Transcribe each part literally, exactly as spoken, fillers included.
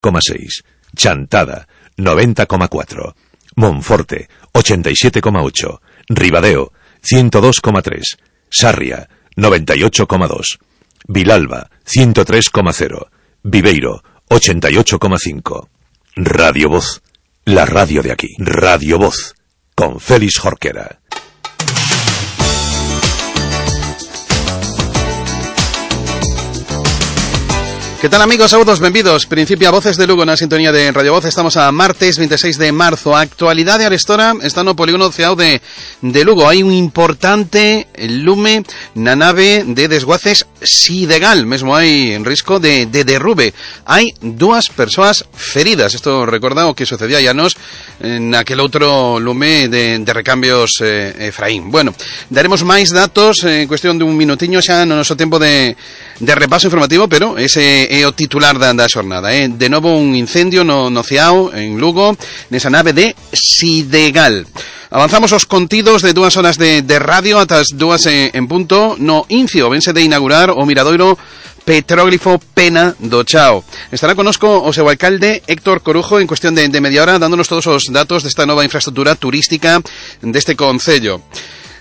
coma seis, Chantada noventa coma cuatro, Monforte ochenta y siete coma ocho, Ribadeo ciento dos coma tres, Sarria noventa y ocho coma dos, Vilalba ciento tres coma cero, Viveiro ochenta y ocho coma cinco. Radio Voz, la radio de aquí. Radio Voz, con Félix Jorquera. Que tal, amigos? Saúdos, benvidos. Principia Voces de Lugo na sintonía de Radio Voz. Estamos a martes veintiséis de marzo. Actualidade arestora está no polígono Ceao de, de Lugo. Hai un importante lume na nave de desguaces Sidegal. Mesmo hai risco de, de derrube. Hai dúas persoas feridas. Isto recorda o que sucedía ya nos naquel outro lume de, de recambios eh, Efraín. Bueno, daremos máis datos en cuestión de un minutiño xa no noso tempo de, de repaso informativo, pero ese é o titular da, da xornada, eh? De novo un incendio no, no Ceao, en Lugo, nesa nave de Sidegal. Avanzamos os contidos de dúas horas de, de radio ata as dúas en, en punto. No Incio vense de inaugurar o miradoiro Petróglifo Pena do Chao. Estará conosco o seu alcalde Héctor Corujo en cuestión de, de media hora, dándonos todos os datos desta nova infraestructura turística deste concello.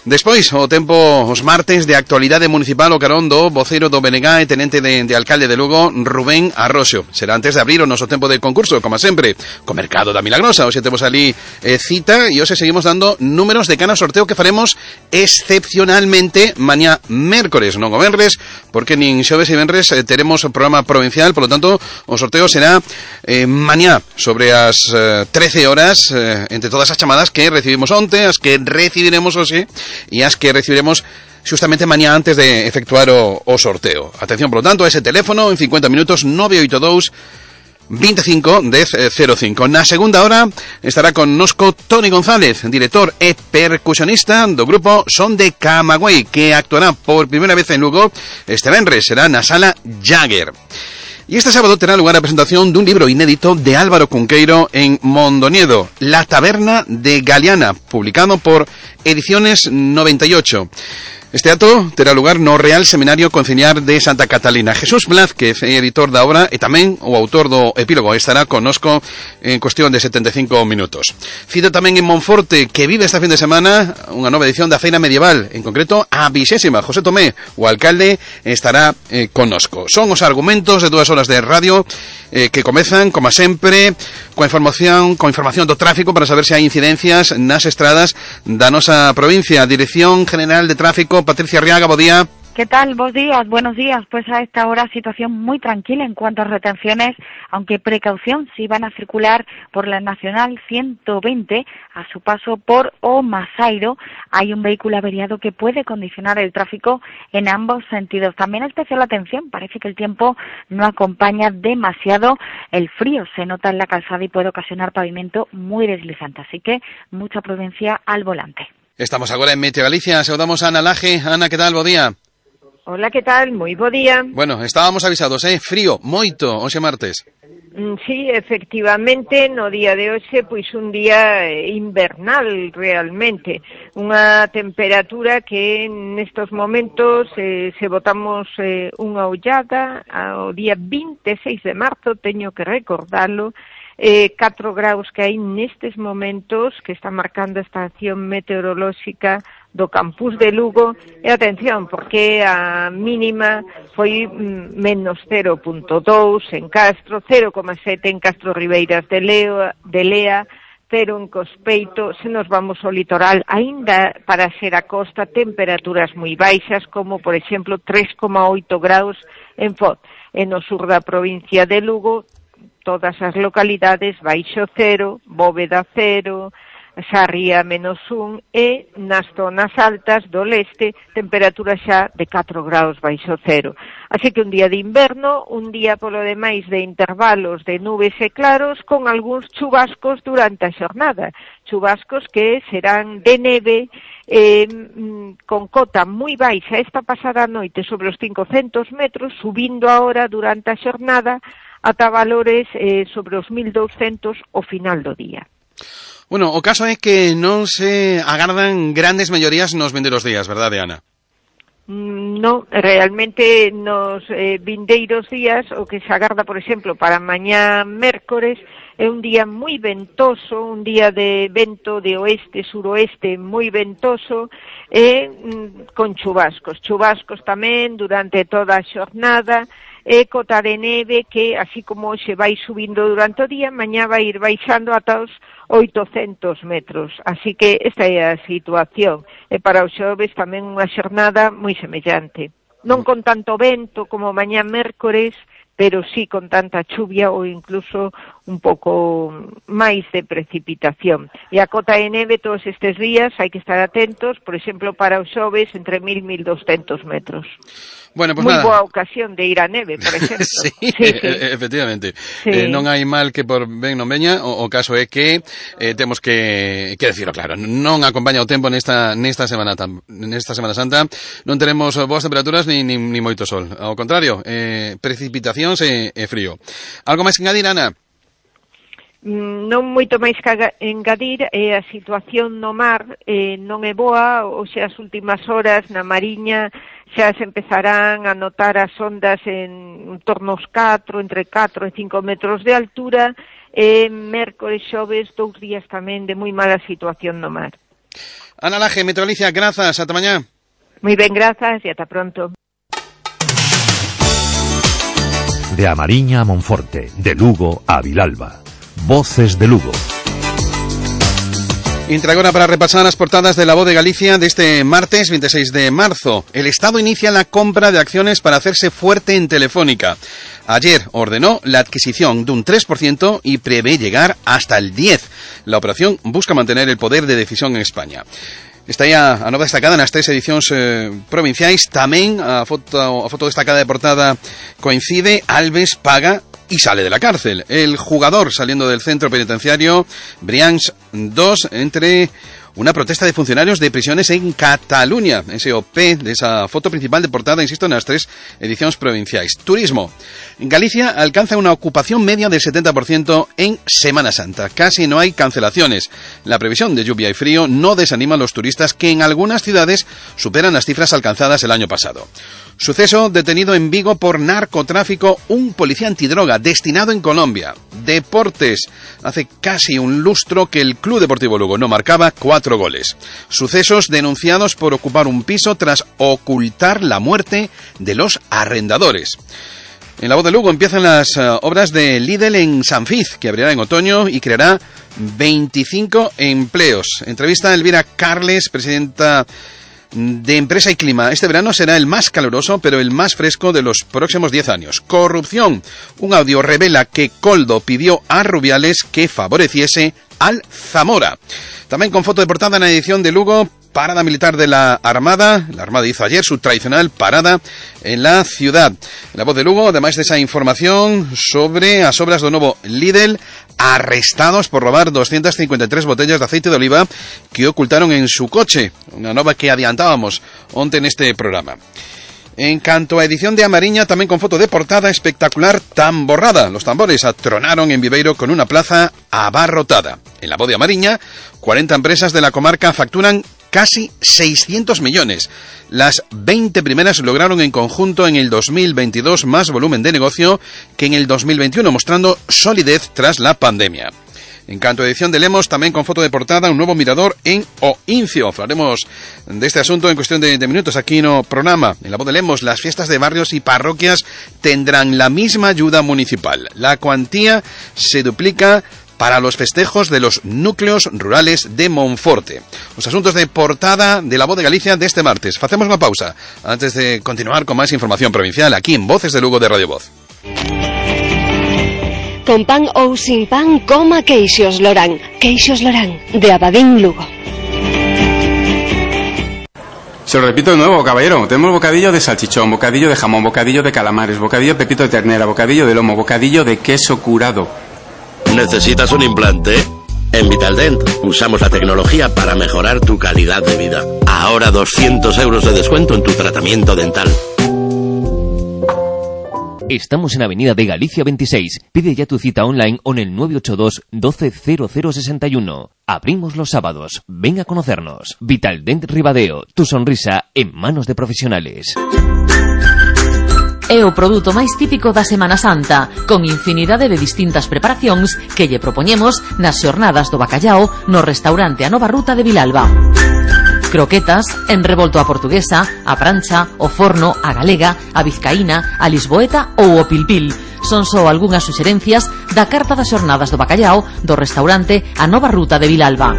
Despois, o tempo os martes de actualidade municipal o carón do voceiro do B N G e tenente de, de alcalde de Lugo, Rubén Arroxo. Será antes de abrir o noso tempo de concurso, como sempre, co Mercado da Milagrosa. Hoxe temos ali eh, cita e hoxe seguimos dando números de cana sorteo que faremos excepcionalmente mañá mércores, non o venres, porque nin xoves e venres eh, teremos o programa provincial, por lo tanto, o sorteo será eh, mañá sobre as eh, trece horas, eh, entre todas as chamadas que recibimos onte, as que recibiremos hoxe, e as que recibiremos justamente mañá antes de efectuar o, o sorteo. Atención, por lo tanto, a ese teléfono en cincuenta minutos, nove oito dous, veinticinco, dez cero cinco. Na segunda hora estará connosco Toni González, director e percusionista do grupo Son de Camagüey, que actuará por primeira vez en Lugo este venres, será na Sala Jagger. Y este sábado terá lugar a presentación dun libro inédito de Álvaro Cunqueiro en Mondoñedo, La Taberna de Galeana, publicado por Ediciones noventa y ocho. Este acto terá lugar no Real Seminario Conciliar de Santa Catalina. Jesús Blázquez, editor da obra, e tamén o autor do epílogo, estará connosco en cuestión de setenta e cinco minutos. Cito tamén en Monforte, que vive esta fin de semana unha nova edición da Feira Medieval, en concreto a vixésima. José Tomé, o alcalde, estará eh, connosco. Son os argumentos de dúas horas de radio eh, que comezan, como sempre, coa información, coa información do tráfico para saber se hai incidencias nas estradas da nosa provincia. Dirección General de Tráfico, Patricia Arriaga, bo día. ¿Qué tal? Buenos días, buenos días. Pues a esta hora situación muy tranquila en cuanto a retenciones, aunque precaución si van a circular por la Nacional ciento veinte a su paso por O Masairo. Hay un vehículo averiado que puede condicionar el tráfico en ambos sentidos. También especial atención, parece que el tiempo no acompaña demasiado. El frío se nota en la calzada y puede ocasionar pavimento muy deslizante, así que mucha prudencia al volante. Estamos agora en Meteo Galicia, saludamos a Ana Laje. Ana, que tal? Bo día. Hola, que tal? Moi bo día. Bueno, estábamos avisados, eh? Frío, moito, hoxe martes. Mm, sí, efectivamente, no día de hoxe, pois un día invernal realmente. Unha temperatura que nestos momentos, eh, se botamos eh, unha ollada ao día veintiséis de marzo, teño que recordalo, eh, catro graus que hai nestes momentos que está marcando a estación meteorolóxica do campus de Lugo, e atención, porque a mínima foi mm, menos cero punto dous en Castro, cero coma sete en Castro Ribeiras de, Leo, de Lea, cero en Cospeito. Se nos vamos ao litoral, aínda para ser a costa, temperaturas moi baixas, como por exemplo tres coma oito graus en Foz. En o sur da provincia de Lugo, todas as localidades baixo cero, Bóveda cero, Sarria menos un, e nas zonas altas do leste temperatura xa de catro graus baixo cero. Así que un día de inverno, un día polo demais de intervalos de nubes e claros con algúns chubascos durante a xornada, chubascos que serán de neve eh, con cota moi baixa esta pasada noite sobre os cincocentos metros, subindo ahora durante a xornada ata valores eh, sobre os mil douscentos ao final do día. Bueno, o caso é que non se agardan grandes mellorías nos vindeiros días, verdade, Ana? No, realmente nos eh, vindeiros días, o que se agarda, por exemplo, para mañá mércores, é un día moi ventoso, un día de vento de oeste, suroeste, moi ventoso, e mm, con chubascos. Chubascos tamén durante toda a xornada, e cota de neve que, así como se vai subindo durante o día, mañá vai ir baixando ata os oitocentos metros. Así que esta é a situación. E para os xoves tamén unha xornada moi semellante. Non con tanto vento como mañá mércores, pero sí con tanta chuvia ou incluso un pouco máis de precipitación. E a cota de neve todos estes días hai que estar atentos, por exemplo, para os xoves entre mil e mil doscientos metros. Bueno, pues moi nada. boa ocasión de ir a neve, por exemplo. sí, sí, sí. E efectivamente. Sí. Eh, non hai mal que por ben non veña, o, o caso é que eh, temos que, que decirlo claro, non acompaña o tempo nesta nesta semana tam, nesta Semana Santa, non teremos boas temperaturas ni, ni, ni moito sol. Ao contrario, eh, precipitacións e, e frío. Algo máis que engadir, Ana? Non moito máis que engadir, eh, a situación no mar eh, non é boa, ou sea, as últimas horas na Mariña xa se empezarán a notar as ondas en torno aos catro, entre catro e cinco metros de altura, e mércores, xoves, dous días tamén de moi mala situación no mar. Ana Laje, Meteorolicia, grazas, ata mañá. Moi ben, grazas e ata pronto. De A Mariña a Monforte, de Lugo a Vilalba. Voces de Lugo. Entra agora para repasar as portadas de La Voz de Galicia deste martes veintiséis de marzo. El Estado inicia la compra de acciones para hacerse fuerte en Telefónica. Ayer ordenó la adquisición de un tres por ciento y prevé llegar hasta el diez por ciento. La operación busca mantener el poder de decisión en España. Está aí a, a nova destacada nas tres edicións eh, provinciais. Tamén a foto, a foto destacada de portada coincide. Alves paga y sale de la cárcel. El jugador saliendo del centro penitenciario Brians dos entre una protesta de funcionarios de prisiones en Cataluña. Ese O P de esa foto principal de portada, insisto, nas tres edicións provinciais. Turismo. Galicia alcanza una ocupación media del setenta por ciento en Semana Santa. Casi no hay cancelaciones. La previsión de lluvia y frío no desanima a los turistas, que en algunas ciudades superan las cifras alcanzadas el año pasado. Suceso: detenido en Vigo por narcotráfico un policía antidroga destinado en Colombia. Deportes. Hace casi un lustro que el Club Deportivo Lugo no marcaba cuatro goles. Sucesos: denunciados por ocupar un piso tras ocultar la muerte de los arrendadores. En La Voz de Lugo empiezan las uh, obras de Lidl en Sanfiz, que abrirá en otoño y creará veinticinco empleos. Entrevista a Elvira Carles, presidenta de Empresa y Clima. Este verano será el más caluroso, pero el más fresco de los próximos diez años. Corrupción. Un audio revela que Coldo pidió a Rubiales que favoreciese al Zamora. También con foto de portada en la edición de Lugo, parada militar de la Armada. La Armada hizo ayer su tradicional parada en la ciudad. La Voz de Lugo, además de esa información sobre as obras do novo Lidl, arrestados por robar doscientas cincuenta y tres botellas de aceite de oliva que ocultaron en su coche. Una nova que adiantábamos onte neste programa. En canto a edición de A Mariña, tamén con foto de portada espectacular tamborrada. Los tambores atronaron en Viveiro con una plaza abarrotada. En La Voz de A Mariña, cuarenta empresas de la comarca facturan casi seiscientos millones. Las veinte primeras lograron en conjunto en el dos mil veintidós más volumen de negocio que en el dos mil veintiuno, mostrando solidez tras la pandemia. En canto a edición de Lemos, tamén con foto de portada, un nuevo mirador en O Incio. Hablaremos de este asunto en cuestión de, de minutos aquí no programa. En La Voz de Lemos, las fiestas de barrios y parroquias tendrán la misma ayuda municipal. La cuantía se duplica para los festejos de los núcleos rurales de Monforte. Los asuntos de portada de La Voz de Galicia de este martes. Facemos unha pausa antes de continuar con máis información provincial aquí en Voces de Lugo de Radio Voz. Con pan ou sin pan, coma queixos Lorán. Queixos Lorán, de Abadín, Lugo. Se lo repito de nuevo, caballero. Tenemos bocadillo de salchichón, bocadillo de jamón, bocadillo de calamares, bocadillo de pepito de ternera, bocadillo de lomo, bocadillo de queso curado. ¿Necesitas un implante? En Vitaldent usamos la tecnología para mejorar tu calidad de vida. Ahora doscientos euros de descuento en tu tratamiento dental. Estamos en Avenida de Galicia veintiséis. Pide ya tu cita online o en el nueve ocho dos doce cero cero sesenta y uno. Abrimos los sábados. Ven a conocernos. Vitaldent Ribadeo. Tu sonrisa en manos de profesionales. É o produto máis típico da Semana Santa, con infinidade de distintas preparacións que lle propoñemos nas xornadas do bacallao no restaurante A Nova Ruta de Vilalba. Croquetas, en revolto a portuguesa, a prancha, o forno, a galega, a vizcaína, a lisboeta ou o pilpil. Son só algunhas suxerencias da carta das xornadas do bacallao do restaurante A Nova Ruta de Vilalba.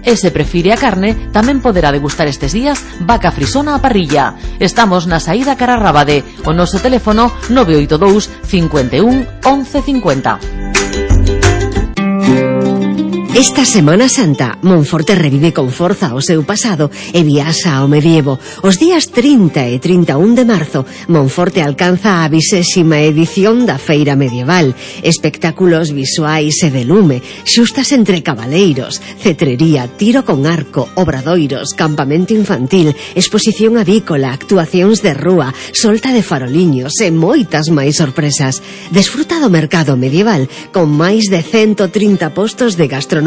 E se prefire a carne, tamén poderá degustar estes días vaca frisona a parrilla. Estamos na saída cara a Rábade. O noso teléfono nove oito dous cincuenta e un once cincuenta. Esta Semana Santa, Monforte revive con forza o seu pasado e viaxa ao medievo. Os días trinta e trinta e un de marzo, Monforte alcanza a vixésima edición da Feira Medieval. Espectáculos visuais e de lume, xustas entre cabaleiros, cetrería, tiro con arco, obradoiros, campamento infantil, exposición avícola, actuacións de rúa, solta de faroliños e moitas máis sorpresas. Desfruta do mercado medieval con máis de ciento trinta postos de gastronomía,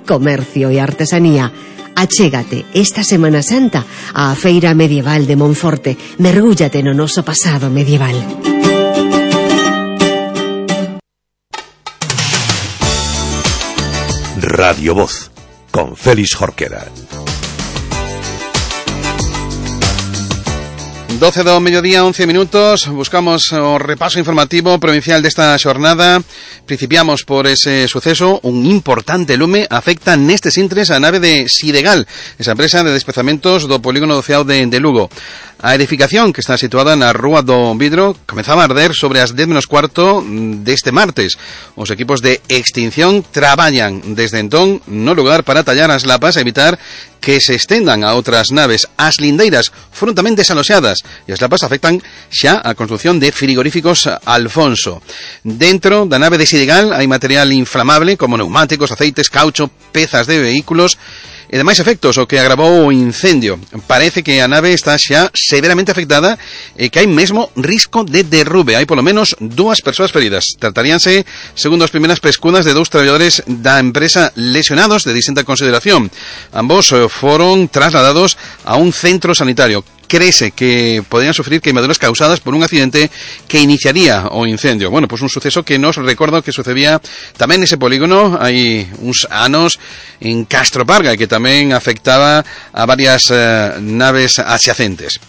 comercio e artesanía. Achégate esta Semana Santa á Feira Medieval de Monforte. Mergúllate no noso pasado medieval. Radio Voz, con Félix Jorquera. doce do mediodía, once minutos. Buscamos o repaso informativo provincial desta xornada. Principiamos por ese suceso. Un importante lume afecta nestes intres a nave de Sidegal, esa empresa de despezamentos do polígono do Ceao de, de Lugo. A edificación, que está situada na Rúa do Vidro, comezaba a arder sobre as dez menos cuarto deste martes. Os equipos de extinción traballan desde entón no lugar para tallar as lapas e evitar que se estendan a outras naves. As lindeiras foron tamén desaloxadas e as lapas afectan xa a construción de frigoríficos Alfonso. Dentro da nave de Sidegal hai material inflamable como neumáticos, aceites, caucho, pezas de vehículos e demais efectos, o que agravou o incendio. Parece que a nave está xa severamente afectada e que hai mesmo risco de derrube. Hai polo menos dúas persoas feridas. Trataríanse, segundo as primeiras pescudas, de dous traballadores da empresa lesionados de distinta consideración. Ambos foron trasladados a un centro sanitario. Créese que podrían sufrir queimaduras causadas por un accidente que iniciaría o incendio. Bueno, pues un suceso que nos recordo que sucedía tamén nese polígono hai uns anos en Castro Parga e que tamén afectaba a varias eh, naves adyacentes.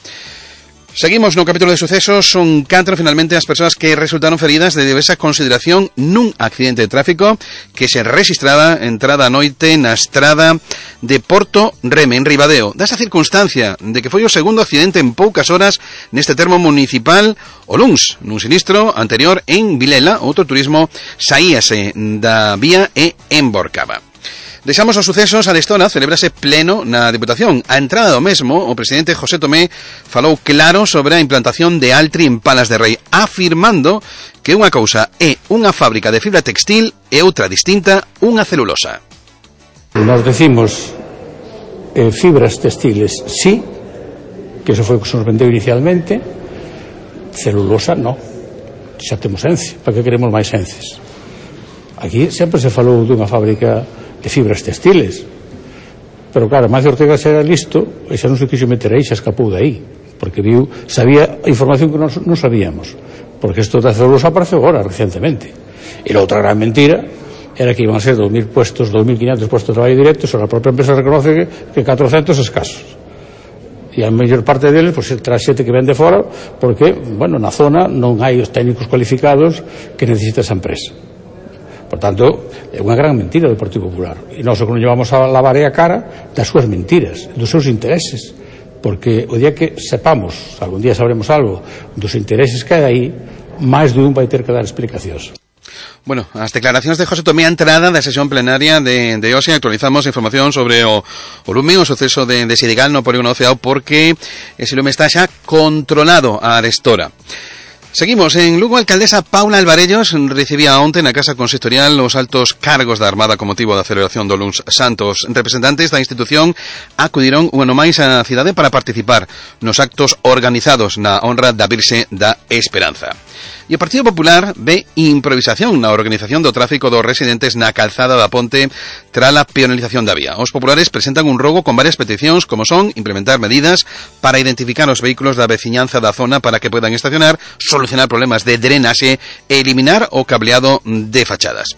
Seguimos no capítulo de sucesos. Son catro finalmente as persoas que resultaron feridas de diversa consideración nun accidente de tráfico que se registraba entrada a noite na estrada de Porto Reme, en Ribadeo. Desa circunstancia de que foi o segundo accidente en poucas horas neste termo municipal o luns, nun sinistro anterior en Vilela, outro turismo saíase da vía e emborcaba. Deixamos os sucesos a destona, celebrase pleno na Diputación. A entrada do mesmo, o presidente José Tomé falou claro sobre a implantación de Altri en Palas de Rei, afirmando que unha cousa é unha fábrica de fibra textil e outra distinta, unha celulosa. Nos decimos eh, fibras textiles, sí, que eso foi o que se nos vendeu inicialmente. Celulosa, no. Xa temos Ence, para que queremos máis Ences? Aquí sempre se falou dunha fábrica de fibras textiles, pero claro, Macio Ortega xa era listo e xa non se quixo meter aí, xa escapou de aí, porque viu, sabía información que non, non sabíamos, porque isto da celulosa apareceu agora, recientemente. E a outra gran mentira era que iban a ser dos mil puestos, dos mil quinientos puestos de traballo directo, e a propia empresa reconoce que, que catrocentos escasos. E a mellor parte deles, pois, tras xente que ven de fora, porque, bueno, na zona non hai os técnicos cualificados que necesita esa empresa. Por tanto, é unha gran mentira do Partido Popular. E nós o que non llevamos a lavar é a cara das súas mentiras, dos seus intereses. Porque o día que sepamos, algún día sabremos algo, dos intereses que hai aí, máis de un vai ter que dar explicacións. Bueno, as declaracións de José Tomé a entrada da sesión plenaria de, de hoxe. Actualizamos información sobre o, o lume, o suceso de, de Sidegal no polígono do Ceao, porque ese lume está xa controlado a arestora. Seguimos. En Lugo, a alcaldesa Paula Alvarellos recibía onte na Casa Consistorial os altos cargos da Armada con motivo da celebración do Luns Santos. Representantes da institución acudiron un ano máis á cidade para participar nos actos organizados na honra da Virxe da Esperanza. E o Partido Popular ve improvisación na organización do tráfico dos residentes na calzada da Ponte tras a peonalización da vía. Os populares presentan un rogo con varias peticións, como son implementar medidas para identificar os vehículos da veciñanza da zona para que podan estacionar, solucionar problemas de drenaxe e eliminar o cableado de fachadas.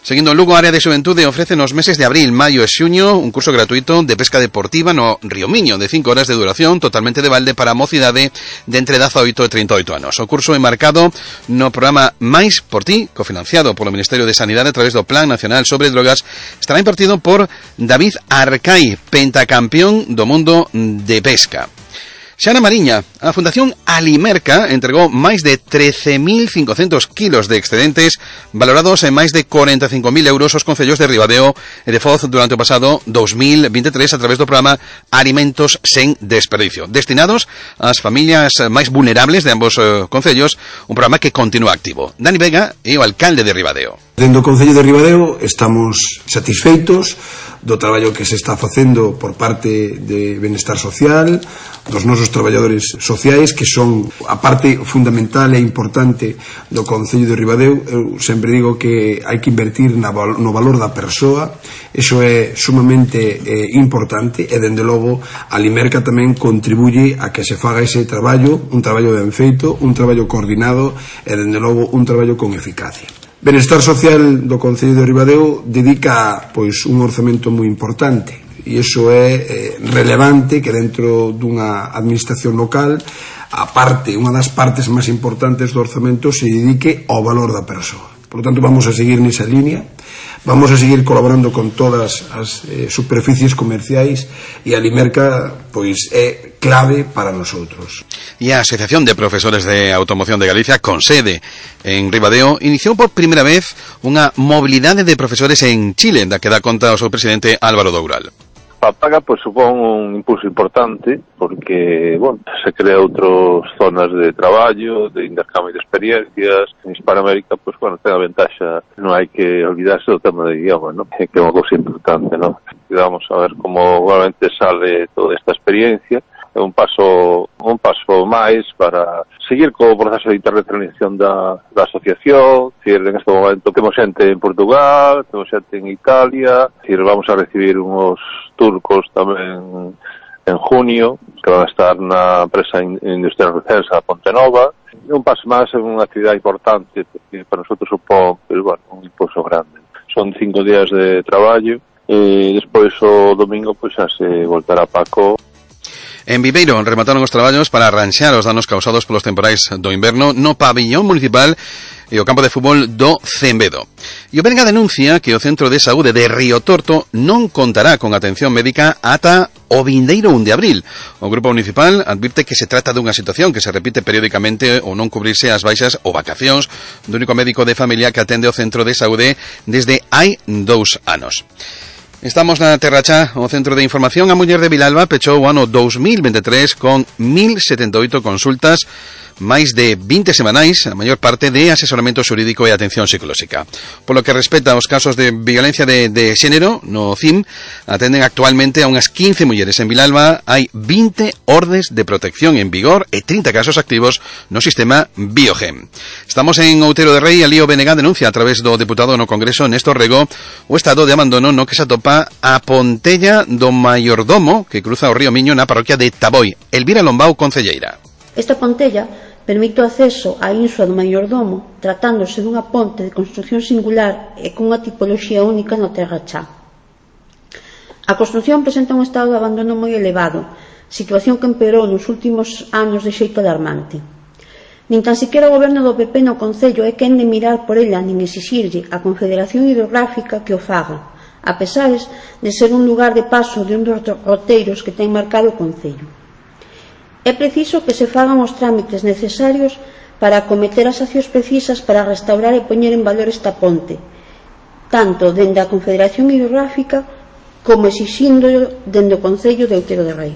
Seguindo en Lugo, a área de xuventude ofrece nos meses de abril, maio e xuño un curso gratuito de pesca deportiva no Río Miño de cinco horas de duración, totalmente de balde para a mocidade de entre dezaoito e trinta e oito anos. O curso é marcado no programa Mais por Ti, cofinanciado polo Ministerio de Sanidade a través do Plan Nacional sobre Drogas, estará impartido por David Arcai, pentacampeón do mundo de pesca. Xana Mariña, a Fundación Alimerca entregou máis de trece mil cincocentos kilos de excedentes valorados en máis de cuarenta e cinco mil euros aos concellos de Ribadeo e de Foz durante o pasado dos mil veintitrés a través do programa Alimentos sen Desperdicio, destinados ás familias máis vulnerables de ambos eh, concellos, un programa que continúa activo. Dani Vega é o alcalde de Ribadeo. Dentro do Concello de Ribadeo estamos satisfeitos do traballo que se está facendo por parte de Benestar Social, dos nosos traballadores sociais, que son a parte fundamental e importante do Concello de Ribadeo. Eu sempre digo que hai que invertir na, no valor da persoa, iso é sumamente eh, importante, e dende logo a Limerca tamén contribuye a que se faga ese traballo, un traballo ben feito, un traballo coordinado e dende logo un traballo con eficacia. Benestar Social do Concello de Ribadeo dedica pois un orzamento moi importante, e iso é eh, relevante que dentro dunha administración local a parte, unha das partes máis importantes do orzamento se dedique ao valor da persoa. Por lo tanto, vamos a seguir nesa línea, vamos a seguir colaborando con todas as eh, superficies comerciais, e a Limerca pois é clave para nosotros. E a Asociación de Profesores de Automoción de Galicia, con sede en Ribadeo, iniciou por primeira vez unha mobilidade de profesores en Chile, da que dá conta o seu presidente Álvaro Doural. A paga pues supón un impulso importante porque, bueno, se crea outras zonas de traballo, de intercambio de experiencias. En Hispanoamérica, pues bueno, ten a ventaxa, non hai que olvidarse do tema de idioma, ¿no? Que é unha cousa importante, ¿no? E vamos a ver como realmente sale toda esta experiencia. É un paso un paso máis para seguir co proceso de internacionalización da, da asociación. Decir, en este momento temos xente en Portugal, temos xente en Italia, decir, vamos a recibir uns turcos tamén en junio, que van a estar na empresa industrial Recensa Ponte Nova. Un paso máis é unha actividade importante, porque para nosotros supón, pues, bueno, un impulso grande. Son cinco días de traballo, e despois o domingo pues, xa se voltará Paco. En Viveiro remataron os traballos para arranxar os danos causados polos temporais do inverno no pabillón municipal e o campo de fútbol do Cembedo. E o Berga denuncia que o Centro de Saúde de Río Torto non contará con atención médica ata o vindeiro un de abril. O grupo municipal advirte que se trata dunha situación que se repite periódicamente o non cubrirse as baixas ou vacacións do único médico de familia que atende o Centro de Saúde desde hai dous anos. Estamos na Terracha, o Centro de Información. A muller de Vilalba pechou o ano dos mil veintitrés con mil setenta e oito consultas, máis de vinte semanais, a maior parte de asesoramento xurídico e atención psicolóxica. Polo que respecta aos casos de violencia de, de xénero, no C I M atenden actualmente a unhas quince mulleres. En Vilalba hai vinte ordes de protección en vigor e trinta casos activos no sistema Biogem. Estamos en Outeiro de Rei. Alío Benega denuncia a través do deputado no Congreso Néstor Rego o estado de abandono no que se atopa a Pontella do Maiordomo, que cruza o río Miño na parroquia de Taboi. Elvira Lombao, concelleira. Esta pontella permite o acceso á insua do Maiordomo, tratándose dunha ponte de construción singular e cunha tipoloxía única no Terrachá. A construción presenta un estado de abandono moi elevado, situación que empeorou nos últimos anos de xeito alarmante. Nin tan siquiera o goberno do P P no Concello é quen de mirar por ela nin exixirlle á Confederación Hidrográfica que o faga, a pesares de ser un lugar de paso de un dos roteiros que ten marcado o Concello. É preciso que se fagan os trámites necesarios para acometer as accións precisas para restaurar e poñer en valor esta ponte, tanto dende a Confederación Hidrográfica como exixindo dende o Concello de Outeiro de Rei.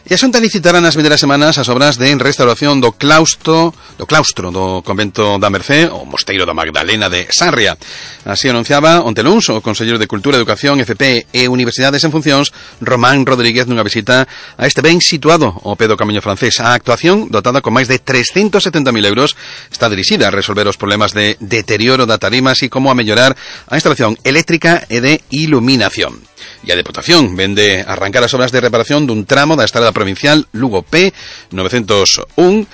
E a Xunta licitará nas vindeiras semanas as obras de restauración do claustro, do claustro do convento da Mercé, o Mosteiro da Magdalena de Sarria. Así anunciaba onte luns o Conselleiro de Cultura, Educación, F P e Universidades en Funcións, Román Rodríguez, nunha visita a este ben situado ao pé do Camiño Francés. A actuación, dotada con máis de trescentos setenta mil euros, está dirixida a resolver os problemas de deterioro da tarima, así como a mellorar a instalación eléctrica e de iluminación. E a Deputación vende arrancar as obras de reparación dun tramo da estrada provincial Lugo P novecentos un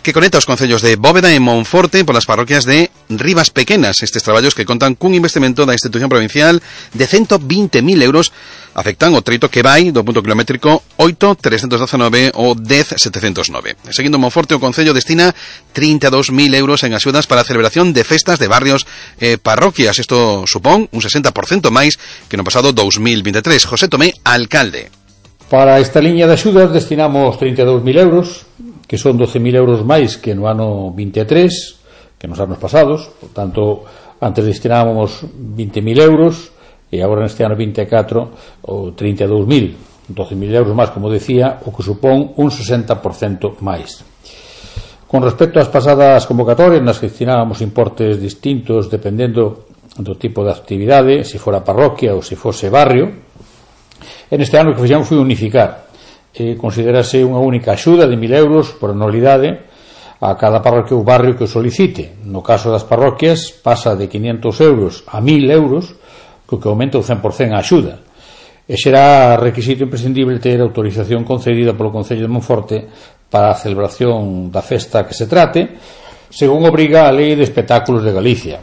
que conecta os concellos de Bóveda e Monforte polas parroquias de Rivas Pequenas. Estes traballos, que contan cun investimento da institución provincial de ciento vinte mil euros, afectan o treito que vai do punto kilométrico oito trescentos dezanove ao dez setecentos nove. Seguindo Monforte, o concello destina trinta e dous mil euros en axudas para a celebración de festas de barrios e parroquias. Isto supón un sesenta por cento máis que no pasado dous mil veintitrés. José Tomé, alcalde. Para esta liña de axudas destinamos trinta e dous mil euros, que son doce mil euros máis que no ano vinte e tres, que nos anos pasados. Por tanto, antes destinábamos vinte mil euros e agora neste ano vinte e catro o trinta e dous mil, doce mil euros máis, como decía, o que supón un sesenta por cento máis. Con respecto ás pasadas convocatorias, nas que destinábamos importes distintos dependendo do tipo de actividade, se fora parroquia ou se fose barrio, en este ano o que fixemos foi unificar. Eh, considerase unha única axuda de mil euros por anualidade a cada parroquia ou barrio que o solicite. No caso das parroquias pasa de quinientos euros a mil euros, co que aumenta o cen por cento a axuda. E será requisito imprescindible ter autorización concedida polo Concello de Monforte para a celebración da festa que se trate, según obriga a Lei de Espectáculos de Galicia.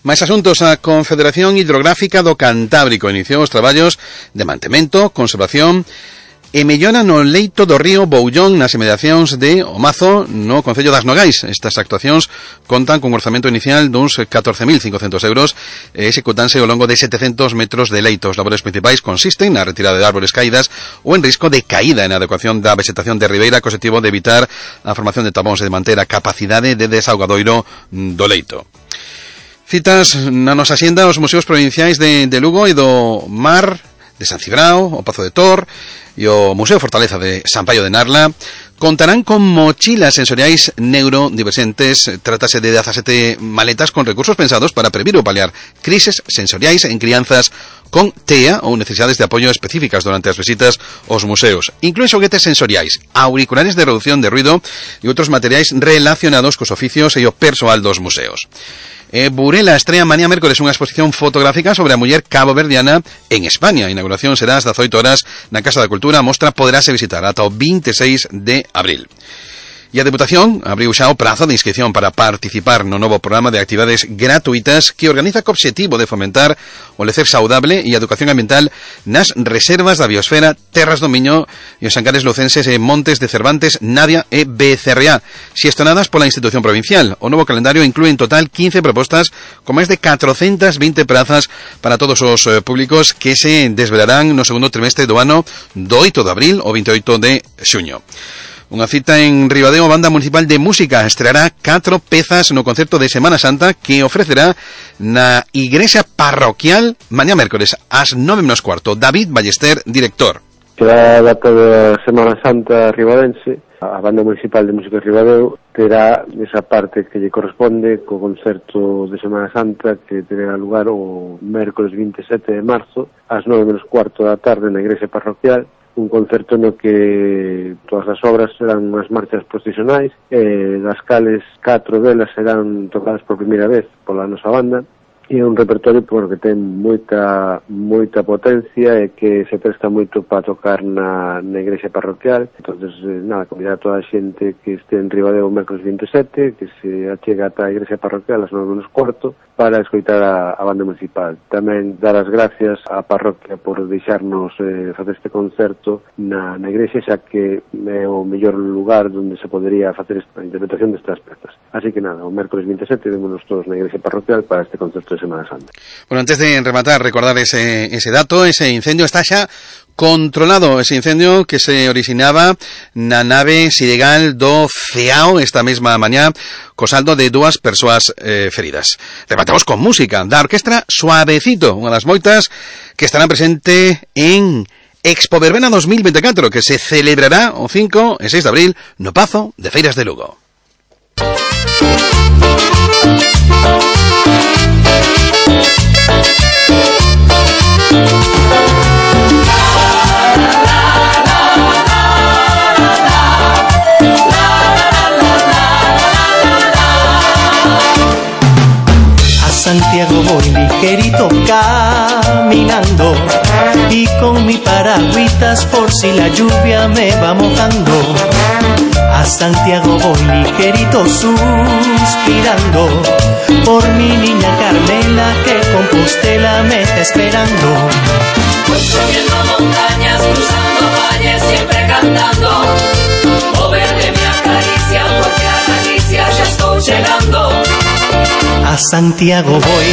Mais asuntos, a Confederación Hidrográfica do Cantábrico iniciou os traballos de mantemento, conservación e mellora no leito do río Boullón nas inmediacións de Omazo, no Concello das Nogais. Estas actuacións contan con un orzamento inicial duns catorce mil cincocentos euros e executanse ao longo de setecentos metros de leito. Os labores principais consisten na retirada de árbores caídas ou en risco de caída, e na adecuación da vegetación de ribeira, co objetivo de evitar a formación de tapóns e de manter a capacidade de desaugadoiro do leito. Citas na nosa xenda os museos provinciais de, de Lugo e do Mar, de San Cibrao, o Pazo de Tor e o Museo Fortaleza de San Paio de Narla contarán con mochilas sensoriais neurodivergentes. Trátase de dezasete maletas con recursos pensados para previr ou paliar crises sensoriais en crianzas con T E A ou necesidades de apoio específicas durante as visitas aos museos. Inclúen xoguetes sensoriais, auriculares de reducción de ruido e outros materiais relacionados cos oficios e o persoal dos museos. E Burela estrea mañá mércores unha exposición fotográfica sobre a muller caboverdiana en España. A inauguración será ás dezaoito horas na Casa da Cultura. A mostra poderase visitar ata o vinte e seis de abril. E a Deputación abriu xa o prazo de inscripción para participar no novo programa de actividades gratuitas que organiza co obxectivo de fomentar o lecer saudable e a educación ambiental nas reservas da biosfera, Terras do Miño e os Ancares lucenses e Montes de Cervantes, Navia e B C R A, xestionadas pola institución provincial. O novo calendario inclúe en total quince propostas con máis de catrocentas vinte prazas para todos os eh, públicos que se desvelarán no segundo trimestre do ano do oito de abril ao veintioito de xuño. Unha cita en Ribadeo, a Banda Municipal de Música estreará catro pezas no concerto de Semana Santa que ofrecerá na Igrexa Parroquial mañá mércores ás nove menos cuarto. David Ballester, director. Será a data da Semana Santa ribadense. A Banda Municipal de Música de Ribadeo terá esa parte que lle corresponde co concerto de Semana Santa que terá lugar o mércores vinte e sete de marzo ás nove menos cuarto da tarde na Igrexa Parroquial. Un concerto no que todas as obras serán unhas marchas procesionais, eh, das cales catro delas serán tocadas por primeira vez pola nosa banda, e un repertorio porque ten moita moita potencia e que se presta moito para tocar na, na igrexa parroquial. Entonces, eh, nada, convidar a toda a xente que este en Ribadeo o mércores vinte e sete, que se achega ata a igrexa parroquial ás nove menos cuarto para escoitar a, a banda municipal. Tamén dar as gracias á parroquia por deixarnos eh, facer este concerto na, na igrexa, xa que é o mellor lugar onde se podería facer esta interpretación destas pezas. Así que nada, o mércores vinte e sete vémonos todos na igrexa parroquial para este concerto de Semana Santa. Bueno, antes de rematar, recordar ese, ese dato, ese incendio está xa controlado, ese incendio que se originaba na nave Sidegal do Ceao esta mesma mañá, co saldo de dúas persoas eh, feridas. Rematamos con música da orquestra Suavecito, unha das moitas que estarán presente en Expo Verbena dos mil veinticuatro, que se celebrará o cinco e seis de abril no Pazo de Feiras de Lugo. Santiago voy ligerito caminando y con mi paragüitas por si la lluvia me va mojando. A Santiago voy ligerito suspirando por mi niña Carmela que Compostela me está esperando. Voy subiendo montañas, cruzando valles, siempre cantando. Oh verde me acaricia porque a Galicia ya estoy llegando. A Santiago voy,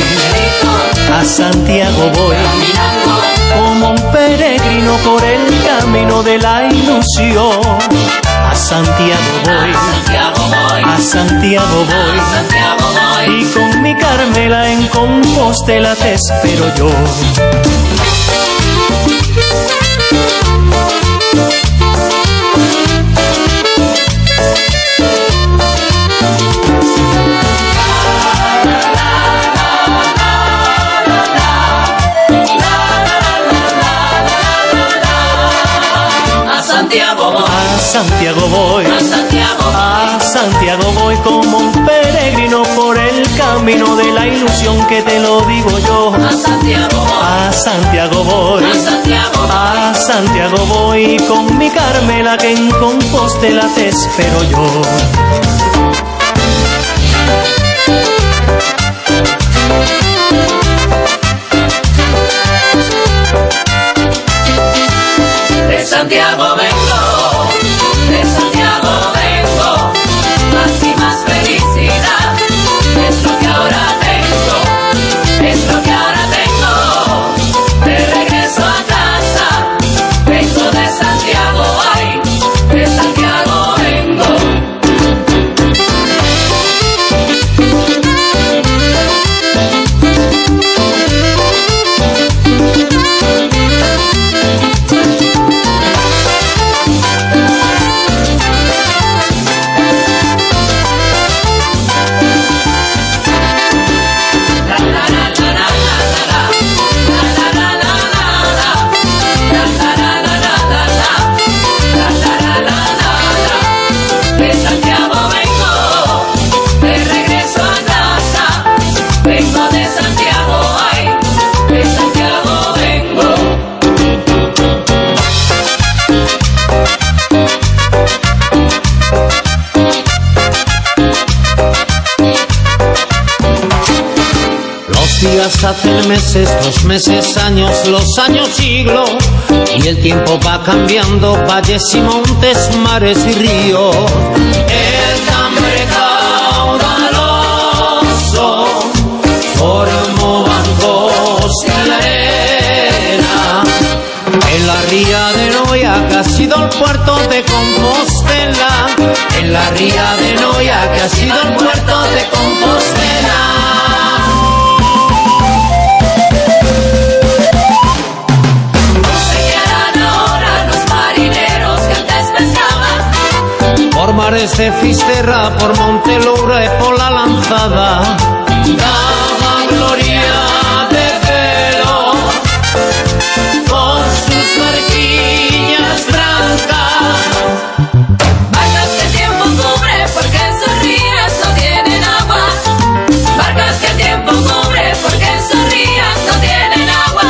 a Santiago voy, como un peregrino por el camino de la ilusión. A Santiago voy, a Santiago voy, y con mi Carmela en Compostela te espero yo. A Santiago voy, a Santiago voy, a Santiago voy como un peregrino por el camino de la ilusión que te lo digo yo. A Santiago voy, a Santiago voy, a Santiago voy, a Santiago voy con mi Carmela que en Compostela te espero yo. De Santiago vengo, de Santiago vengo, más y más felicidad, es lo que ahora tengo, es lo que ahora tengo, de regreso a casa, vengo de Santiago, ay, de Santiago vengo. Días hacen meses, dos meses, años, los años siglos, y el tiempo va cambiando, valles y montes, mares y ríos. El cambre caudaloso formó bancos de la arena. En la ría de Noia, que ha sido el puerto de Compostela. En la ría de Noia, que ha sido el puerto de Compostela. Por mares de Fisterra, por Monteloura y por la Lanzada, daba gloria de pelo con sus barquillas blancas. Barcas que el tiempo cubre porque en sus rías no tienen agua. Barcas que el tiempo cubre porque en sus rías no tienen agua.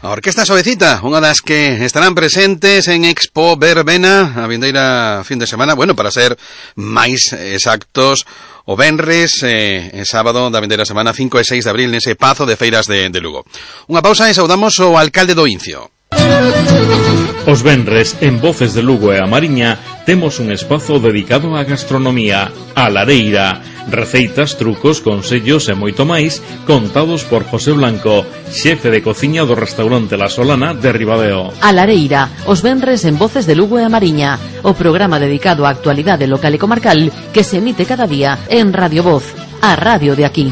A Orquesta Suavecita, unha das que estarán presentes en Expo Verbena a vindeira fin de semana, bueno, para ser máis exactos, o venres e eh, sábado da vindeira semana cinco e seis de abril nese Pazo de Feiras de, de Lugo. Unha pausa e saudamos o alcalde do Incio. Os venres en Voces de Lugo e a Mariña temos un espazo dedicado á gastronomía, a lareira, Receitas, trucos, consellos e moito máis contados por José Blanco, xefe de cociña do restaurante La Solana de Ribadeo. A Lareira, os venres en Voces de Lugo e a Mariña, o programa dedicado á actualidade local e comarcal que se emite cada día en Radio Voz, a radio de aquí.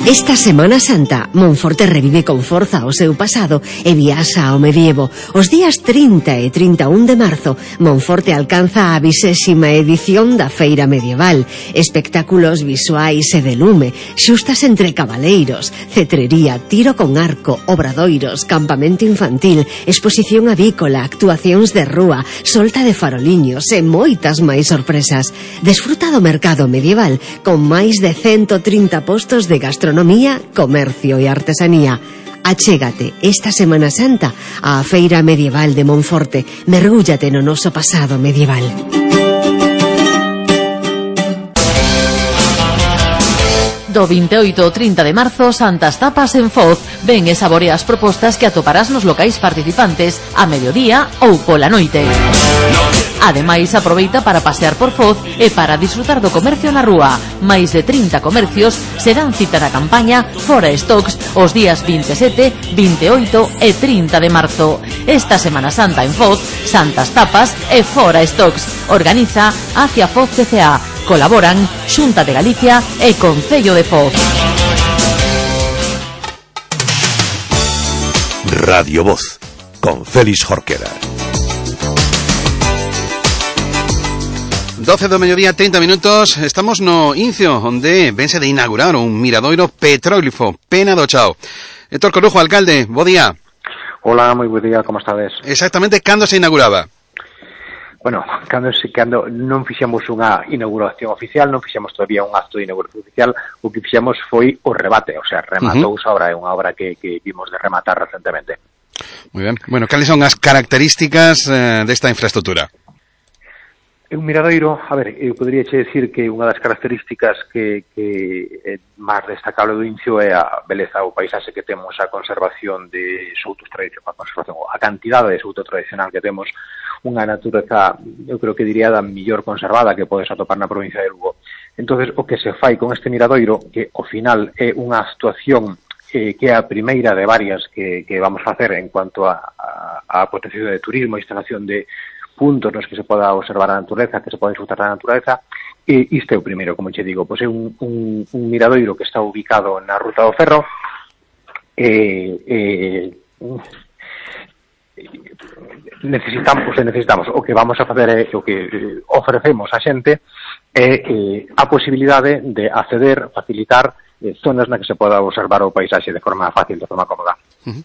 Esta Semana Santa, Monforte revive con forza o seu pasado e viaxa ao medievo. Os días trinta e trinta e un de marzo, Monforte alcanza a vixésima edición da Feira Medieval. Espectáculos visuais e de lume, xustas entre cabaleiros, cetrería, tiro con arco, obradoiros, campamento infantil, exposición avícola, actuacións de rúa, solta de faroliños e moitas máis sorpresas. Desfruta do mercado medieval con máis de ciento trinta postos de gastronomía, comercio e artesanía. Achégate esta Semana Santa á Feira Medieval de Monforte. Mergúllate no noso pasado medieval. Do veintioito ao trinta de marzo, Santas Tapas en Foz. Ven e saborea as propostas que atoparás nos locais participantes a mediodía ou pola noite. Ademais, aproveita para pasear por Foz e para disfrutar do comercio na rúa. Máis de trinta comercios serán cita na campaña Fora Stocks os días veintisiete, veintioito e trinta de marzo. Esta Semana Santa en Foz, Santas Tapas e Fora Stocks. Organiza Hacia Foz C C A. Colaboran Xunta de Galicia e Concello de Foz. Radio Voz, con Félix Jorquera. doce do mediodía, trinta minutos. Estamos no Incio, onde vense de inaugurar un miradoiro petróglifo, Pena do Chao. Héctor Corujo, alcalde, bo día. Hola, moi bo día, como estades? Exactamente, cando se inauguraba? Bueno, cando, cando non fixemos unha inauguración oficial, non fixemos todavía un acto de inauguración oficial, o que fixemos foi o rebate, o sea, rematou uh-huh. a obra, é unha obra que, que vimos de rematar recentemente. Moi ben. Bueno, cales son as características eh, desta infraestructura? É un miradoiro, a ver, eu podería che decir que unha das características que, que é máis destacable do Incio é a beleza, o paisaxe que temos, a conservación de soutos tradicionais, a conservación, a cantidade de souto tradicional que temos, unha natureza, eu creo que diría, da mellor conservada que podes atopar na provincia de Lugo. Entonces, o que se fai con este miradoiro, que ao final é unha actuación eh, que é a primeira de varias que, que vamos a facer en cuanto a, a, a potenciación de turismo, a instalación de puntos nos que se poda observar a natureza, que se poda disfrutar da natureza, e isto é o primeiro, como che digo, pois é un, un, un miradoiro que está ubicado na Ruta do Ferro, e, e necesitamos, necesitamos, o que vamos a facer é, o que ofrecemos a xente é eh, a posibilidade de acceder, facilitar eh, zonas na que se poda observar o paisaxe de forma fácil, de forma cómoda. Uh-huh.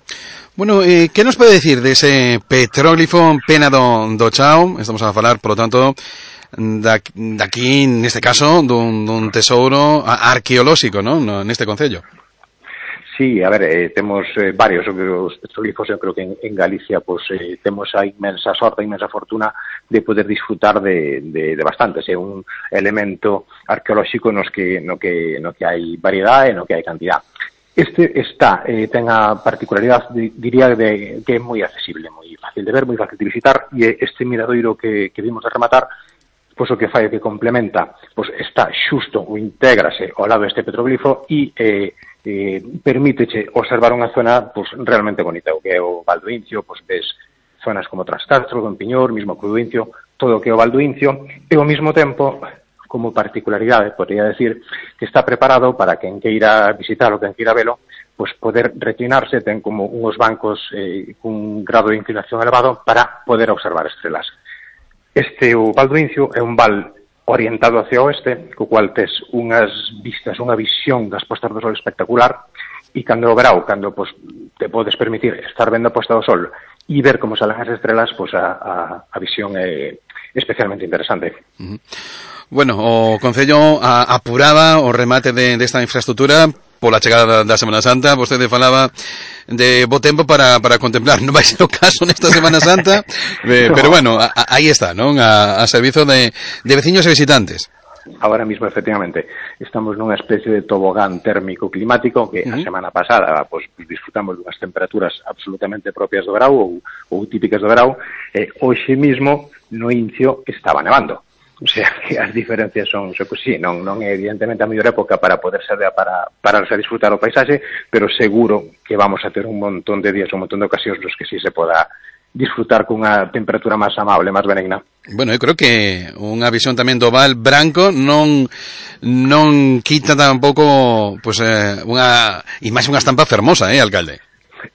Bueno, eh, que nos pode decir dese petróglifo Pena do, do Chao? Estamos a falar, por lo tanto, daqui, neste caso, dun, dun tesouro arqueolóxico, non? Neste concello. Sí, a ver, eh, temos eh, varios os petróglifos, eu creo que en, en Galicia pues, eh, temos a inmensa sorte, a inmensa fortuna de poder disfrutar de, de, de bastantes. É un elemento arqueolóxico nos que, no que, no que hai variedade e no que hai cantidad. Este está, eh, ten a particularidade, diría, de que é moi accesible, moi fácil de ver, moi fácil de visitar, e este miradoiro que, que vimos de rematar, pois o que fai que complementa, pois está xusto ou intégrase ao lado deste petróglifo e eh, eh, permíteche observar unha zona pois, realmente bonita, o que é o Val do Incio, pois ves zonas como Trascastro, Don Piñor, mismo Cruz do Incio, todo o que é o Val do Incio, e ao mesmo tempo, como particularidade, podría decir, que está preparado para quen queira visitar ou quen queira velo, pois poder reclinarse, ten como uns bancos eh, cun grado de inclinación elevado para poder observar estrelas. Este, o Val do Incio, é un val orientado hacia o oeste, co cual tes unhas vistas, unha visión das postas do sol espectacular, e cando o verao, cando pues, te podes permitir estar vendo a posta do sol e ver como salen as estrelas, pues, a, a, a visión é especialmente interesante. Uh-huh. Bueno, o Concello a, apuraba o remate de, desta infraestructura pola chegada da Semana Santa. Vostede falaba de bo tempo para, para contemplar, non vai ser o caso nesta Semana Santa, eh, no. Pero bueno, a, a, aí está, non? A, a servizo de, de veciños e visitantes. Ahora mismo, efectivamente, estamos nunha especie de tobogán térmico climático que uh-huh. a semana pasada pues, disfrutamos dunhas temperaturas absolutamente propias do verao ou, ou típicas do verao, e hoxe mismo no Incio estaba nevando. O sea, que as diferencias son, so, pues, sí, non, non é evidentemente a mellor época para poder ser para pararse a disfrutar o paisaxe, pero seguro que vamos a ter un montón de días, un montón de ocasións nos que sí se poda disfrutar cunha temperatura máis amable, máis benigna. Bueno, eu creo que unha visión tamén do Val Branco non non quita tampouco pues, eh, unha imaxe, unha estampa fermosa, eh, alcalde?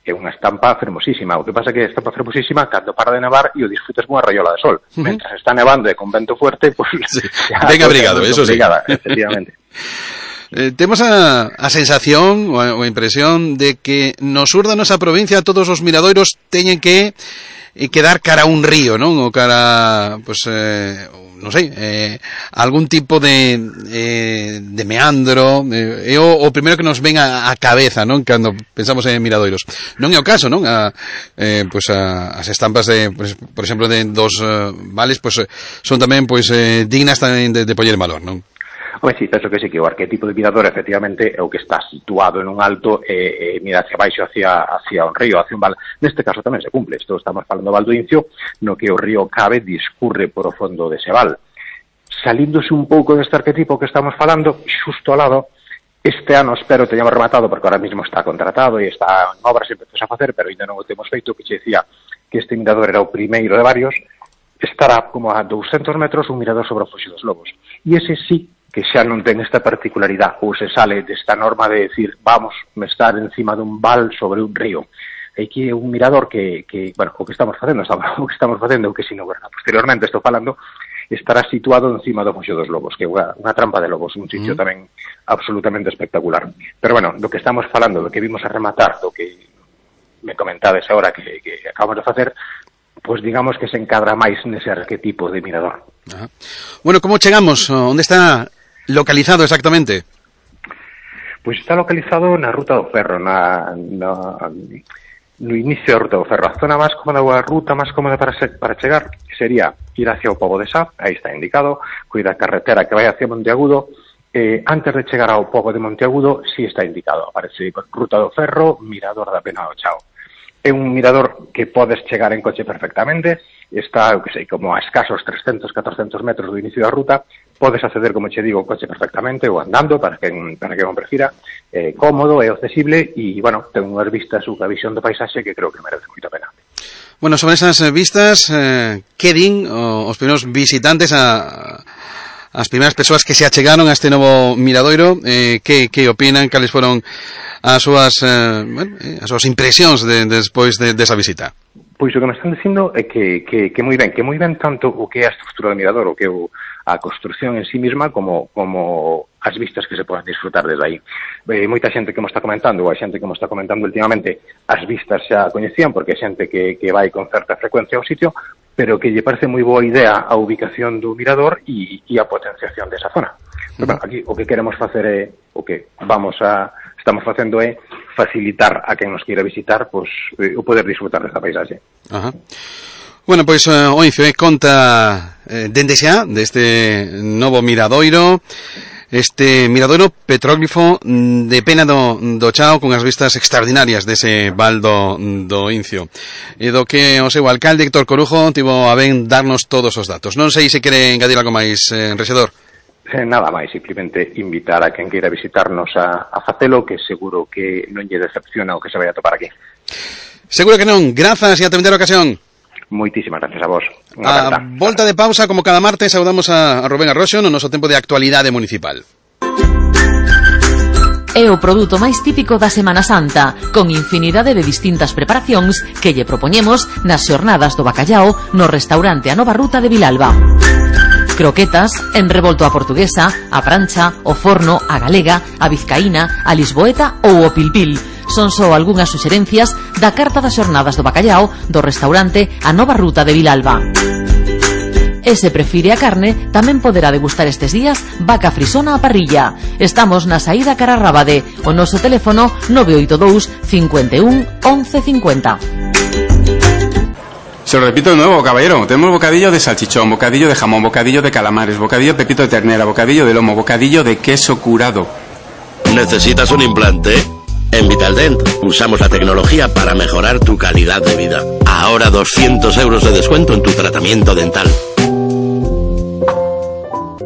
É unha estampa fermosísima. O que pasa é que a estampa fermosísima, cando para de nevar e o disfrutes unha rayola de sol. Uh-huh. Mentras está nevando e con vento fuerte, pues, sí. Ben abrigado, eso sí. Efectivamente. Eh, temos a, a sensación ou a, ou a impresión de que no sur da nosa provincia todos os miradoiros teñen que eh, quedar cara a un río, non? Ou cara, pues, eh, non sei, eh, algún tipo de eh, de meandro, eh, é o, o primeiro que nos ven a, a cabeza, non? Cando pensamos en miradoiros. Non é o caso, non? A, eh, pues a, as estampas de, pues, por exemplo, de dos uh, vales, pues son tamén pues eh, dignas tamén de, de poñer en valor, non? Home, sí, penso que sí, que o arquetipo de mirador efectivamente é o que está situado en un alto e, e mira hacia baixo, hacia, hacia un río, hacia un val. Neste caso tamén se cumple. Isto estamos falando do Val do Incio, no que o río Cabe discurre por o fondo dese val. Salíndose un pouco deste arquetipo que estamos falando, xusto ao lado, este ano espero teñamos rematado, porque ahora mismo está contratado e está en obras e empezamos a facer, pero ainda non o temos feito, que che decía que este mirador era o primeiro de varios. Estará como a douscentos metros un mirador sobre o Foxo dos Lobos. E ese sí que xa non ten esta particularidade, ou se sale desta norma de decir, vamos a estar encima dun val sobre un río. Aquí é un mirador que, que bueno, o que estamos facendo, estamos, o que estamos facendo, o que si non, bueno, posteriormente estou falando, estará situado encima do Foxo dos Lobos, que é unha, unha trampa de lobos, un sitio mm. tamén absolutamente espectacular. Pero bueno, do que estamos falando, do que vimos a rematar, do que me comentades agora que, que acabamos de facer, pues digamos que se encadra máis nese arquetipo de mirador. Ajá. Bueno, como chegamos? Onde está localizado exactamente? Pois está localizado na Ruta do Ferro, na, na, no inicio da Ruta do Ferro. A zona máis cómoda, a ruta máis cómoda para, se, para chegar sería ir hacia o Pobo de Sá, aí está indicado, cuida a carretera que vai hacia Monteagudo. Eh, antes de chegar ao Pobo de Monteagudo, sí está indicado, aparece Ruta do Ferro, Mirador da Pena do Chao. É un mirador que podes chegar en coche perfectamente, está, eu que sei, como a escasos trescentos, catorcentos metros do inicio da ruta, podes acceder, como che digo, en coche perfectamente ou andando, para que para que non prefira, é cómodo, é accesible e, bueno, ten unhas vistas, unha visión do paisaxe que creo que merece moita pena. Bueno, sobre esas vistas, eh, que din os primeiros visitantes a as primeiras persoas que se achegaron a este novo miradoiro, eh, que, que opinan, cales foron as súas, eh, bueno, as súas impresións de, despois de, desa visita? Pois o que me están dicindo é que, que, que moi ben, que moi ben tanto o que é a estrutura do mirador, o que é o, a construcción en sí misma, como, como as vistas que se poden disfrutar desde aí. Eh, moita xente que mo está comentando, ou a xente que mo está comentando últimamente, as vistas xa coñecían, porque é xente que, que vai con certa frecuencia ao sitio, pero que lle parece moi boa idea a ubicación do mirador e, e a potenciación desa zona. Pero, bueno, aquí o que queremos facer é, o que vamos a, estamos facendo é facilitar a quen nos queira visitar, pois, eh, o poder disfrutar desta paisaxe. Ajá. Bueno, pois uh, o Incio eh, conta eh, dende xa deste novo miradoiro, este miradoiro petróglifo de Pena do, do Chao, con as vistas extraordinarias dese val do, do Incio, e do que o seu alcalde Héctor Corujo tivo a ben darnos todos os datos. Non sei se quere engadir algo máis, eh, Rexedor. Eh, nada máis, simplemente invitar a quen queira visitarnos a, a facelo, que seguro que non lle decepciona o que se vai a topar aquí. Seguro que non. Grazas e ata a ocasión. Moitísimas gracias a vos. A volta de pausa, como cada martes, saudamos a Rubén Arroxo no noso tempo de actualidade municipal. É o produto máis típico da Semana Santa, con infinidade de distintas preparacións que lle propoñemos nas xornadas do bacallao no restaurante A Nova Ruta de Vilalba. Croquetas, en revolto a portuguesa, a prancha, o forno, a galega, a vizcaína, a lisboeta ou o pilpil. Son só algunhas suxerencias da carta das xornadas do bacallao do restaurante A Nova Ruta de Vilalba. E se prefire a carne, tamén poderá degustar estes días vaca frisona a parrilla. Estamos na saída cara a Rábade. O noso teléfono nove oito dous, cinco un, once cincuenta. Se lo repito de nuevo, caballero. Tenemos bocadillo de salchichón, bocadillo de jamón, bocadillo de calamares, bocadillo de pepito de ternera, bocadillo de lomo, bocadillo de queso curado. ¿Necesitas un implante? En Vitaldent usamos la tecnología para mejorar tu calidad de vida. Ahora doscientos euros de descuento en tu tratamiento dental.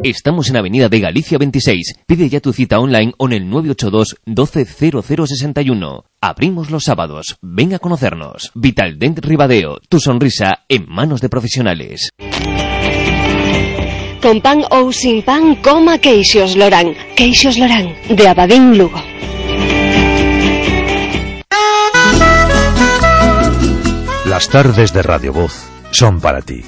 Estamos en Avenida de Galicia veintiséis. Pide ya tu cita online o en el nueve ocho dos doce cero cero sesenta y uno. Abrimos los sábados. Ven a conocernos. Vitaldent Ribadeo. Tu sonrisa en manos de profesionales. Con pan ou sin pan, coma Queixos Lorán. Queixos Lorán, de Abadín, Lugo. Las tardes de Radio Voz son para ti.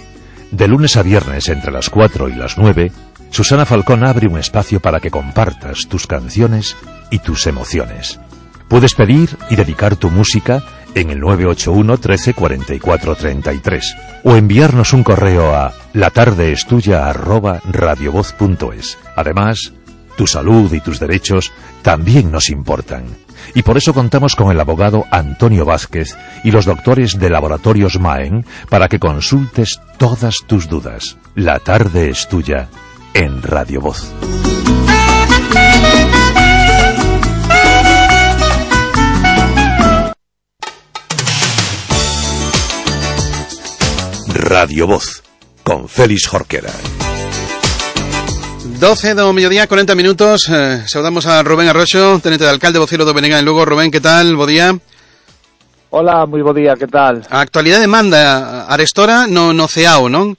De lunes a viernes entre las cuatro y las nueve, Susana Falcón abre un espacio para que compartas tus canciones y tus emociones. Puedes pedir y dedicar tu música en el nueve ocho uno trece cuarenta y cuatro treinta y tres o enviarnos un correo a latardeestuya arroba radiovoz punto es. Además, tu salud y tus derechos también nos importan. Y por eso contamos con el abogado Antonio Vázquez y los doctores de Laboratorios Maen para que consultes todas tus dudas. La tarde es tuya en Radio Voz. Radio Voz, con Félix Jorquera. doce do mediodía, cuarenta minutos. Eh, saudamos a Rubén Arroxo, tenente de alcalde Vocelo do Benega en Lugo. Rubén, que tal? Bo día. Hola, moi bo día, que tal? A actualidade manda arestora no, no C E A O, non?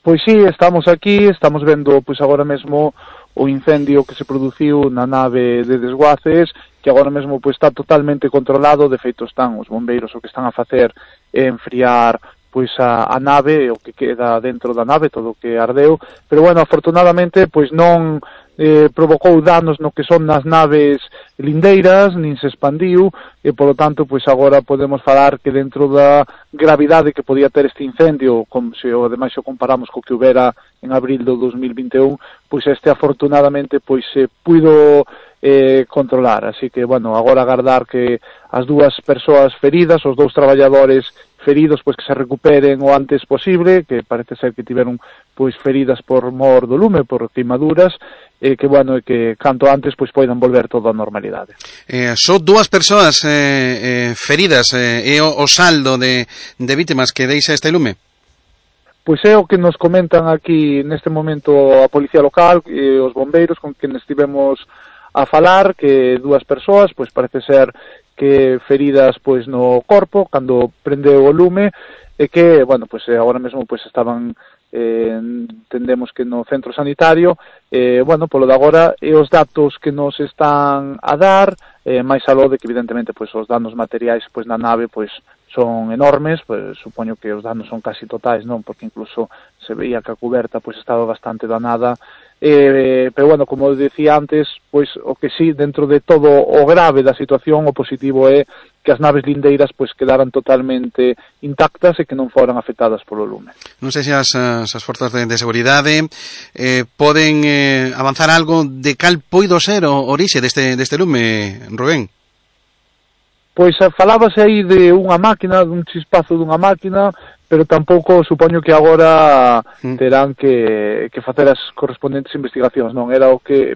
Pois sí, estamos aquí, estamos vendo pois agora mesmo o incendio que se produciu na nave de desguaces, que agora mesmo pois está totalmente controlado. De feito están os bombeiros o que están a facer é enfriar pois a, a nave, o que queda dentro da nave, todo o que ardeu, pero bueno, afortunadamente pois non eh, provocou danos no que son nas naves lindeiras, nin se expandiu, e polo tanto pois agora podemos falar que dentro da gravidade que podía ter este incendio, como se o ademais o comparamos co que houbera en abril do dos mil vinte e un, pois este afortunadamente pois se puido eh, controlar, así que bueno, agora agardar que as dúas persoas feridas, os dous traballadores feridos, pois que se recuperen o antes posible, que parece ser que tiveron pois feridas por mor do lume, por queimaduras, e que bueno, e que canto antes pois poidan volver todo a normalidade. Eh, son dúas persoas eh, eh, feridas, eh, e o, o saldo de, de vítimas que deixa este lume? Pois é o que nos comentan aquí neste momento a Policía Local e os bombeiros con quen estivemos a falar, que dúas persoas, pois parece ser que feridas pois no corpo cando prendeu o lume, e que, bueno, pois agora mesmo pois estaban eh, entendemos que no centro sanitario, eh, bueno, polo de agora e os datos que nos están a dar, eh, máis aló de que evidentemente pois os danos materiais pois na nave pois son enormes, pois supoño que os danos son casi totais, non, porque incluso se veía que a cuberta pois estaba bastante danada. Eh, pero bueno, como decía antes, pois o que sí, dentro de todo o grave da situación, o positivo é que as naves lindeiras pois quedaran totalmente intactas e que non foran afectadas polo lume. Non sei se as, as forzas de, de seguridade eh, poden eh, avanzar algo de cal poido ser o orixe deste, deste lume, Rubén? Pois falábase aí de unha máquina, dun chispazo dunha máquina, pero tampouco supoño que agora terán que, que facer as correspondentes investigacións, non? Era o que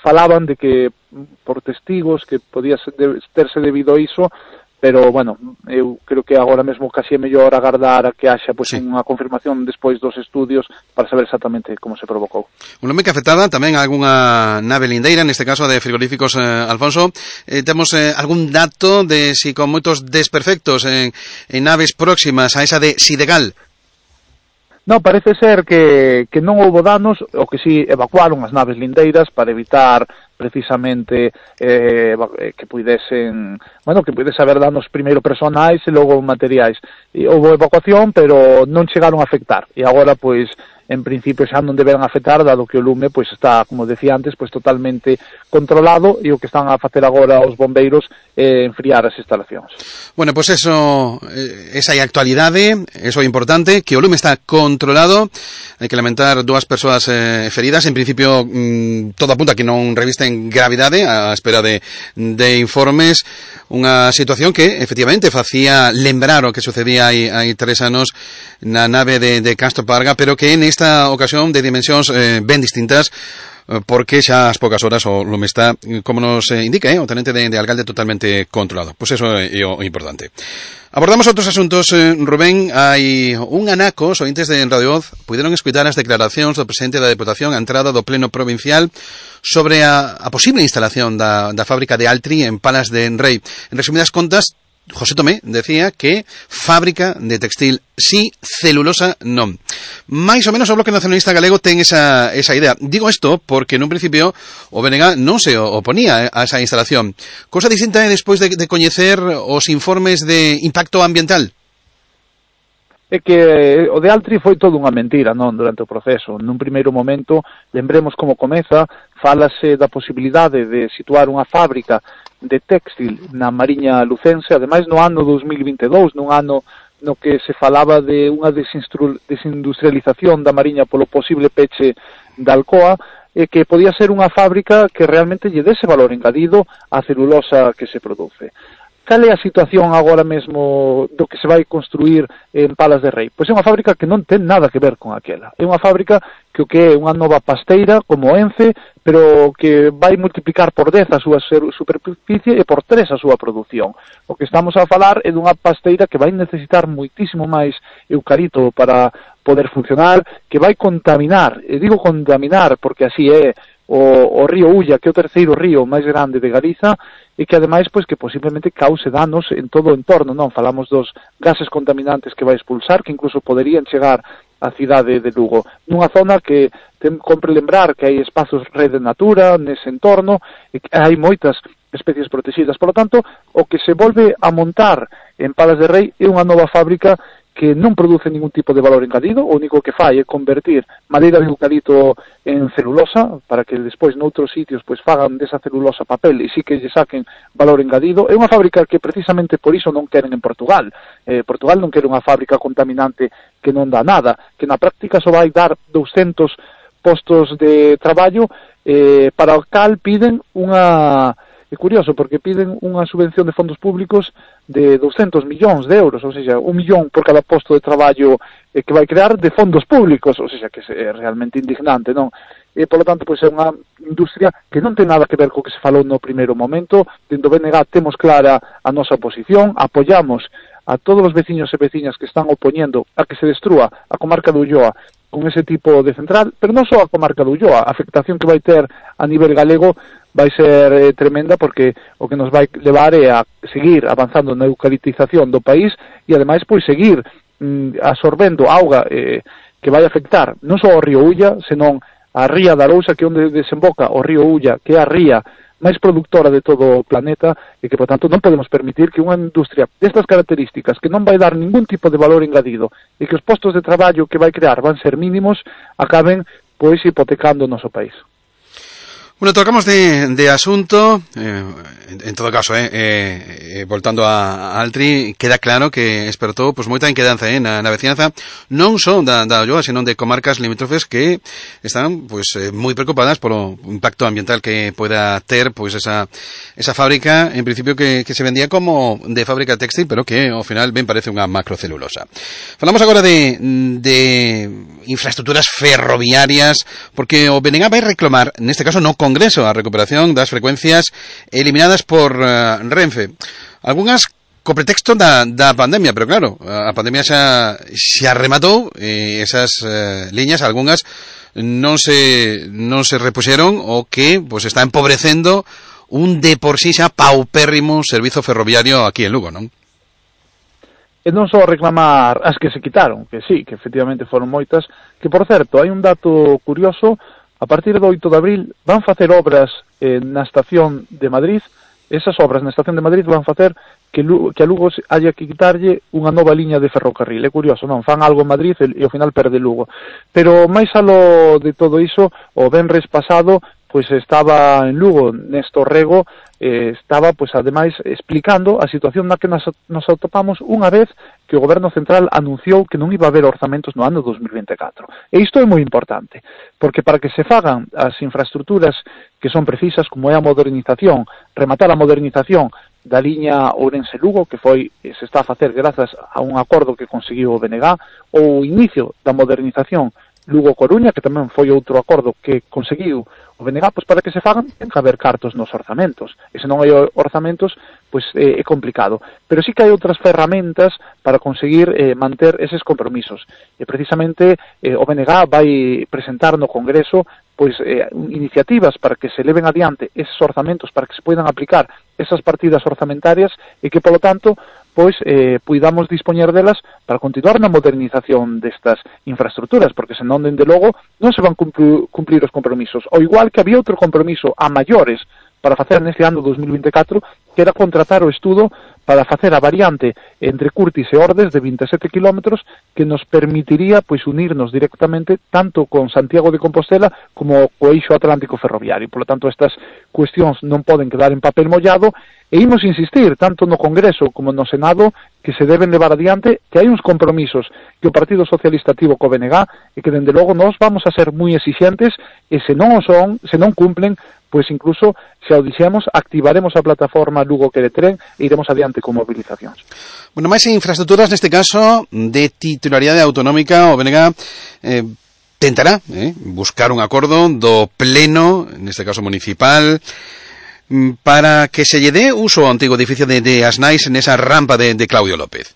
falaban de que por testigos que podía ser, de, terse debido a iso, pero, bueno, eu creo que agora mesmo casi é mellor agardar a que haxa pois, sí. unha confirmación despois dos estudios para saber exactamente como se provocou. Un lume que afectaba tamén a algunha nave lindeira, neste caso de frigoríficos eh, Alfonso. Eh, temos eh, algún dato de si con moitos desperfectos en, en naves próximas a esa de Sidegal? No, parece ser que, que non houbo danos, o que si evacuaron as naves lindeiras para evitar precisamente eh, que puidesen, bueno, que puidese haber danos primeiro personais e logo materiais. E houbo evacuación, pero non chegaron a afectar. E agora, pois, en principio xa non deberán afectar, dado que o lume pois está, como decía antes, pois totalmente controlado, e o que están a facer agora os bombeiros é enfriar as instalacións. Bueno, pois eso, esa é a actualidade, eso é importante, que o lume está controlado. Hai que lamentar dúas persoas eh, feridas, en principio mmm, todo apunta que non revisten gravidade, á espera de, de informes. Unha situación que efectivamente facía lembrar o que sucedía hai, hai tres anos na nave de, de Castro Parga, pero que en esta ocasión de dimensións eh, ben distintas, porque xa as poucas horas o lume está, como nos indica, eh, o tenente de, de alcalde, totalmente controlado. Pois eso é o importante. Abordamos outros asuntos, eh, Rubén. Hai un anaco, os ointes de Radio Voz puderon escutar as declaracións do presidente da Deputación a entrada do Pleno Provincial sobre a, a posible instalación da, da fábrica de Altri en Palas de Enrei. En resumidas contas, José Tomé decía que fábrica de textil sí, celulosa non. Mais ou menos o Bloque Nacionalista Galego ten esa, esa idea. Digo isto porque nun principio o B N G non se oponía a esa instalación. Cosa distinta é despois de, de coñecer os informes de impacto ambiental. É que o de Altri foi toda unha mentira, non, durante o proceso. Nun primeiro momento, lembremos como comeza, fálase da posibilidade de situar unha fábrica de textil na Mariña Lucense, ademais no ano dos mil vinte e dous, nun ano no que se falaba de unha desindustrialización da Mariña polo posible peche da Alcoa, e que podía ser unha fábrica que realmente lle dese valor engadido á celulosa que se produce. Cal é a situación agora mesmo do que se vai construir en Palas de Rei? Pois é unha fábrica que non ten nada que ver con aquela. É unha fábrica que o que é unha nova pasteira como Ence, pero que vai multiplicar por dez a súa superficie e por tres a súa produción. O que estamos a falar é dunha pasteira que vai necesitar moitísimo máis eucalipto para poder funcionar, que vai contaminar, e digo contaminar porque así é, o, o río Ulla, que é o terceiro río máis grande de Galiza, e que ademais pois que posiblemente cause danos en todo o entorno, non? Falamos dos gases contaminantes que vai expulsar, que incluso poderían chegar á cidade de Lugo, nunha zona que ten, compre lembrar que hai espazos rede natura nese entorno, e que hai moitas especies protegidas. Por lo tanto, o que se volve a montar en Palas de Rei é unha nova fábrica que non produce ningún tipo de valor engadido, o único que fai é convertir madeira de eucalipto en celulosa, para que despois noutros sitios pois fagan desa celulosa papel e sí que lle saquen valor engadido. É unha fábrica que precisamente por iso non queren en Portugal. Eh, Portugal non quere unha fábrica contaminante que non dá nada, que na práctica só vai dar douscentos postos de traballo, eh, para o cal piden unha... É curioso, porque piden unha subvención de fondos públicos de douscentos millóns de euros, ou seja, un millón por cada posto de traballo eh, que vai crear de fondos públicos, ou seja, que é realmente indignante, non? E, por lo tanto, pois é unha industria que non ten nada que ver co que se falou no primeiro momento. Dentro do B N G temos clara a nosa posición, apoiamos a todos os veciños e veciñas que están opoñendo a que se destrúa a comarca de Ulloa con ese tipo de central, pero non só a comarca de Ulloa, a afectación que vai ter a nivel galego vai ser eh, tremenda, porque o que nos vai levar é a seguir avanzando na eucaliptización do país e ademais pois seguir mm, absorbendo auga eh, que vai afectar non só ao río Ulla, senón a ría da Arousa, que é onde desemboca o río Ulla, que é a ría máis productora de todo o planeta, e que, por tanto, non podemos permitir que unha industria destas características, que non vai dar ningún tipo de valor engadido, e que os postos de traballo que vai crear van ser mínimos, acaben, pois, hipotecando o noso país. Bueno, tocamos de, de asunto, eh, en, en todo caso, eh, eh, eh, voltando a, a Altri, queda claro que espertou pues, moita inquedanza eh, na, na veciñanza, non só da, da Ulloa, senón de comarcas limítrofes que están pues, eh, moi preocupadas polo impacto ambiental que pueda ter pues, esa, esa fábrica, en principio que, que se vendía como de fábrica textil, pero que ao final ben parece unha macrocelulosa. Falamos agora de, de infraestructuras ferroviarias, porque o B N G vai reclamar, neste caso no Congreso, a recuperación das frecuencias eliminadas por uh, Renfe. Algúnas co pretexto da, da pandemia, pero claro, a pandemia xa, xa rematou e esas uh, liñas, algunhas non se non se repuxeron, o que pues, está empobrecendo un de por sí xa paupérrimo servizo ferroviario aquí en Lugo, non? E non só reclamar as que se quitaron, que sí, que efectivamente foron moitas, que por certo, hai un dato curioso. A partir do oito de abril van facer obras eh, na estación de Madrid. Esas obras na estación de Madrid van facer que, Lugo, que a Lugo haya que quitarlle unha nova liña de ferrocarril. É curioso, non? Fan algo en Madrid e, e ao final perde Lugo. Pero máis alo de todo iso, o venres pasado, pois estaba en Lugo, Néstor Rego, eh, estaba, pois ademais, explicando a situación na que nos, nos atopamos unha vez que o Goberno Central anunciou que non iba a haber orzamentos no ano dos mil vinte e catro. E isto é moi importante, porque para que se fagan as infraestructuras que son precisas, como é a modernización, rematar a modernización da liña Ourense-Lugo, que foi se está a facer grazas a un acordo que conseguiu o B N G, ou o inicio da modernización Lugo-Coruña, que tamén foi outro acordo que conseguiu o B N G, pois para que se fagan ten que haber cartos nos orzamentos, e se non hai orzamentos pois eh, é complicado, pero sí que hai outras ferramentas para conseguir eh, manter eses compromisos, e precisamente eh, o B N G vai presentar no Congreso pois eh, iniciativas para que se leven adiante eses orzamentos, para que se poidan aplicar esas partidas orzamentarias e que, polo tanto, pois eh, puidamos dispoñer delas para continuar na modernización destas infraestructuras, porque senón, dende logo, non se van cumplir, cumplir os compromisos. Ao igual que había outro compromiso a maiores para facer neste ano dos mil vinte e catro, que era contratar o estudo para facer a variante entre Curtis e Ordes de vinte e sete kilómetros que nos permitiría pois unirnos directamente tanto con Santiago de Compostela como co eixo atlántico ferroviario. Por lo tanto, estas cuestións non poden quedar en papel mollado e imos insistir tanto no Congreso como no Senado que se deben levar adiante, que hai uns compromisos que o Partido Socialista tivo co B N G e que, dende logo, nós vamos a ser moi exixentes e se non o son, se non cumplen, pois incluso, se o dixemos, activaremos a plataforma Lugo Quere Tren e iremos adiante con movilizacións. Bueno, máis infraestructuras neste caso de titularidade autonómica, o B N G eh, tentará eh, buscar un acordo do pleno, neste caso municipal, para que se lle dé uso ao antigo edificio de, de Asnais en esa rampa de, de Claudio López.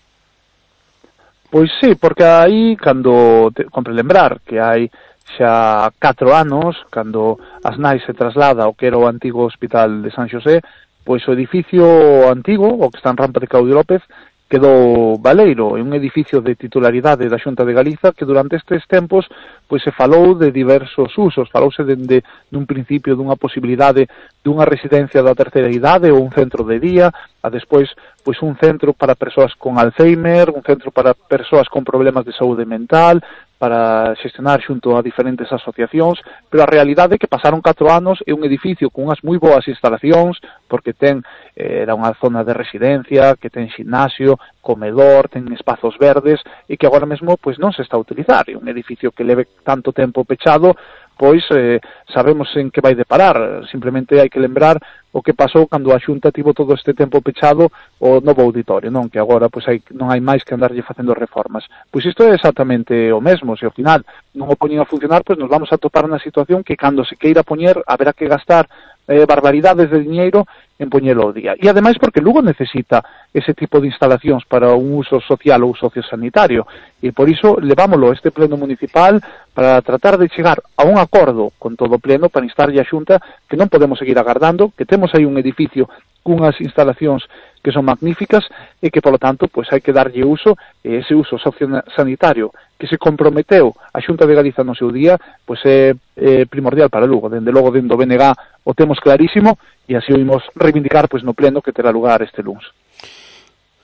Pois sí, porque aí, cando, te, compre lembrar que hai xa catro anos, cando Asnais se traslada ao que era o antigo hospital de San Xosé, pois o edificio antigo, o que está en rampa de Claudio López, quedou baleiro, é un edificio de titularidade da Xunta de Galiza que durante estes tempos pois se falou de diversos usos, falouse dende dun principio dunha posibilidade dunha residencia da terceira idade ou un centro de día, a despois pois un centro para persoas con Alzheimer, un centro para persoas con problemas de saúde mental, para xestionar xunto a diferentes asociacións, pero a realidade é que pasaron catro anos e un edificio con unhas moi boas instalacións, porque ten, eh, era unha zona de residencia, que ten ximnasio, comedor, ten espazos verdes, e que agora mesmo pois non se está a utilizar. É un edificio que leve tanto tempo pechado, pois eh, sabemos en que vai deparar. Simplemente hai que lembrar o que pasou cando a Xunta tivo todo este tempo pechado o novo auditorio, non? Que agora pois hai, non hai máis que andarlle facendo reformas. Pois isto é exactamente o mesmo, se ao final non o poñen a funcionar, pois nos vamos a topar na situación que cando se queira poñer haberá que gastar eh, barbaridades de diñeiro en poñelo ao día. E ademais porque Lugo necesita ese tipo de instalacións para un uso social ou sociosanitario, e por iso levámoslo a este pleno municipal para tratar de chegar a un acordo con todo o pleno para instarlle a Xunta que non podemos seguir agardando, que temos aí un edificio cunhas instalacións que son magníficas e que, polo tanto, pois hai que darlle uso, e ese uso sociosanitario que se comprometeu a Xunta de Galiza no seu día, pois é, é primordial para Lugo. Dende logo, dentro do B N G o temos clarísimo e así o imos reivindicar pois no pleno que terá lugar este luns.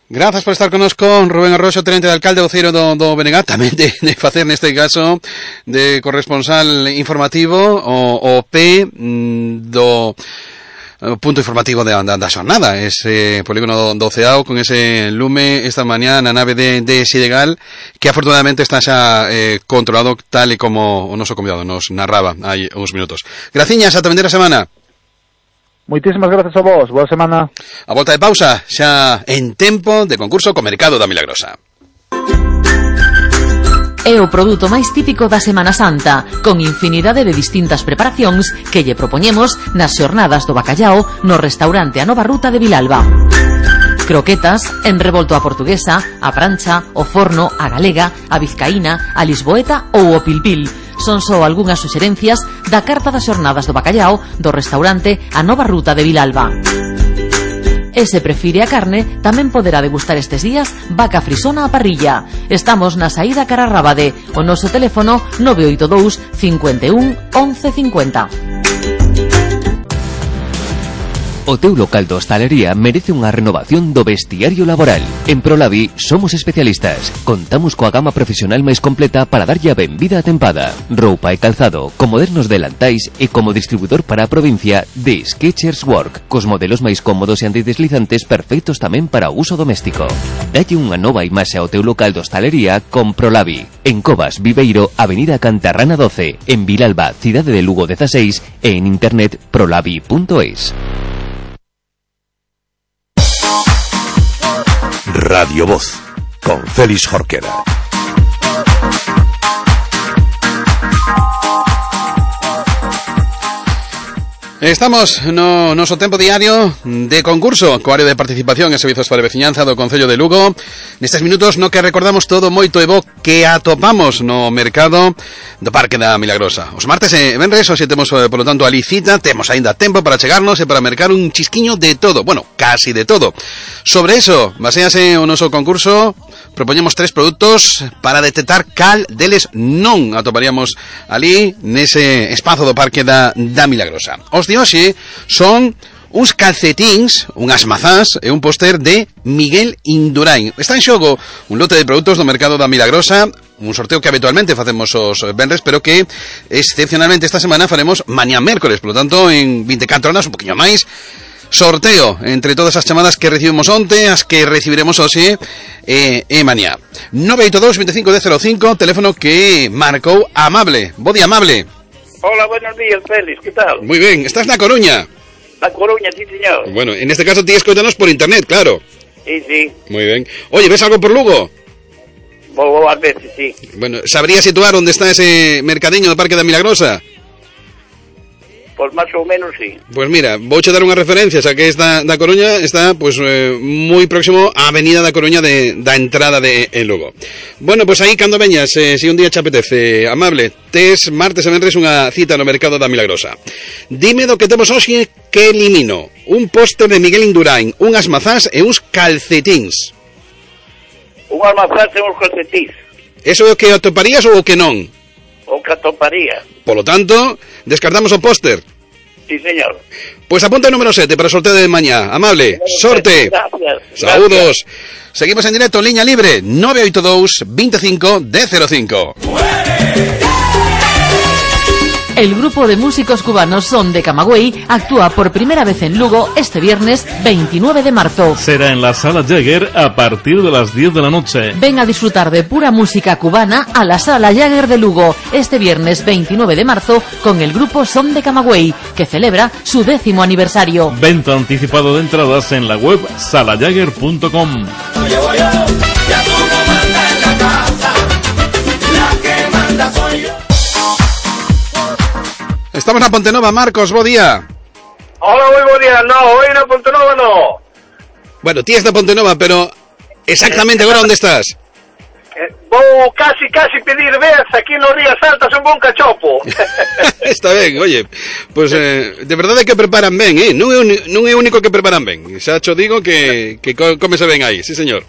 Grazas por estar connosco, Rubén Arroxo, tenente de alcalde voceiro do, do B N G, tamén de, de facer neste caso de corresponsal informativo o, o P do punto informativo da, da, da xornada, ese polígono do Ceao con ese lume esta mañá na nave de, de Sidegal, que afortunadamente está xa eh, controlado tal e como o noso convidado nos narraba hai uns minutos. Graciñas, ata vender a semana. Moitísimas grazas a vos, boa semana. A volta de pausa, xa en tempo de concurso co Mercado da Milagrosa. É o produto máis típico da Semana Santa, con infinidade de distintas preparacións que lle propoñemos nas xornadas do bacallao no restaurante A Nova Ruta de Vilalba. Croquetas, en revolto a portuguesa, a prancha, o forno, a galega, a vizcaína, a lisboeta ou o pilpil. Son só algunhas suxerencias da carta das xornadas do bacallao do restaurante A Nova Ruta de Vilalba. E se prefire a carne, tamén poderá degustar estes días vaca frisona a parrilla. Estamos na saída cara a Rábade. O noso teléfono nove oito dous, cinco un, once cincuenta. O teu local de hostalería merece unha renovación do vestiario laboral. En Prolavi somos especialistas. Contamos coa gama profesional máis completa para darlle a benvida a tempada. Roupa e calzado, con modernos delantais e como distribuidor para a provincia de Skechers Work, cos modelos máis cómodos e antideslizantes perfectos tamén para o uso doméstico. Dalle unha nova imaxe ao teu local de hostalería con Prolavi. En Covas, Viveiro, Avenida Cantarrana doce, en Vilalba, Cidade de Lugo dieciséis e en internet prolavi punto es. Radio Voz, con Félix Jorquera. Estamos no noso tempo diario de concurso co área de participación e servizos para a veciñanza do Concello de Lugo. Nestes minutos no que recordamos todo moito e bo que atopamos no mercado do Parque da Milagrosa. Os martes e venres, hoxe temos, polo tanto, a licita, temos aínda tempo para chegarnos e para mercar un chisquiño de todo, bueno, casi de todo. Sobre eso, basease o noso concurso, propoñemos tres produtos para detectar cal deles non atoparíamos ali nese espazo do Parque da, da Milagrosa. Os de hoxe son uns calcetíns, unhas mazás e un póster de Miguel Indurain. Está en xogo un lote de produtos do mercado da Milagrosa, un sorteo que habitualmente facemos os venres, pero que excepcionalmente esta semana faremos mañá mércoles, por lo tanto en vinte e catro horas, un poquinho máis. Sorteo entre todas as chamadas que recibimos onte, as que recibiremos hoxe e, e mañá. nove oito dous, veinticinco, diez cero cinco, teléfono que marcou Amable. Bo día, Amable. Hola, buenos días, Félix, ¿qué tal? Muy bien, ¿estás na Coruña? Na Coruña, sí, señor. Bueno, en este caso tienes que escoitanos por internet, claro. Sí, sí. Muy bien. Oye, ¿ves algo por Lugo? Vou a veces, sí. Bueno, ¿sabrías situar dónde está ese mercadiño do Parque da Milagrosa? Pues más o menos sí. Pues mira, vouche dar unha referencia, xa que esta da Coruña está pues eh, moi próximo á Avenida da Coruña de, da entrada de en Lugo. Bueno, pues aí cando veñas, eh, si un día che apetece, Amable, tes martes e venres unha cita no mercado da Milagrosa. Dime do que temos hoxe que elimino. Un póster de Miguel Indurain, unhas mazás e uns calcetíns. Unhas mazás e uns calcetíns. Eso é o que atoparías ou o que non? O que atoparía. Por lo tanto, descartamos o póster. Sí, señor. Pues apunta el número siete para el sorteo de mañana. Amable, sorte. Gracias. Saludos. Gracias. Seguimos en directo, línea libre, nove oito dous, veinticinco, diez cero cinco. El grupo de músicos cubanos Son de Camagüey actúa por primera vez en Lugo este viernes veintinueve de marzo. Será en la Sala Jagger a partir de las diez de la noche. Ven a disfrutar de pura música cubana a la Sala Jagger de Lugo este viernes veintinueve de marzo con el grupo Son de Camagüey, que celebra su décimo aniversario. Venta anticipado de entradas en la web sala jagger punto com. Estamos na Pontenova, Marcos, bo día. Hola, moi bo día. No, hoy na Pontenova no. Bueno, ti es da Pontenova, pero exactamente agora onde estás? Eh, vou casi, casi pedir vez aquí no Rías Altas un bon cachopo. Está ben, oye, pues eh, de verdade que preparan ben, eh? Non é, un, non é único que preparan ben. Xa cho digo que, que comese ben aí, sí señor.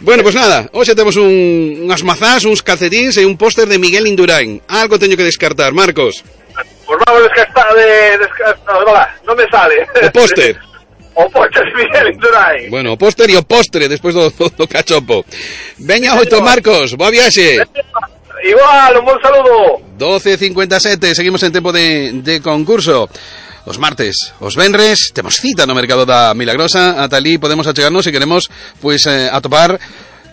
Bueno, pues nada, hoxe temos un, unhas mazás, uns calcetíns e un póster de Miguel Indurain. Algo teño que descartar, Marcos. Pues vamos a descartar de... descartar, no, no me sale. O póster. O póster de Miguel Indurain. Bueno, o póster e o postre despois do, do, do cachopo. Veña oito, Marcos, boa viaxe. Igual, un bon saludo. doce cincuenta e sete, seguimos en tempo de, de concurso. Os martes, os venres, temos cita no mercado da Milagrosa. Ata ali podemos achegarnos se queremos pues eh, atopar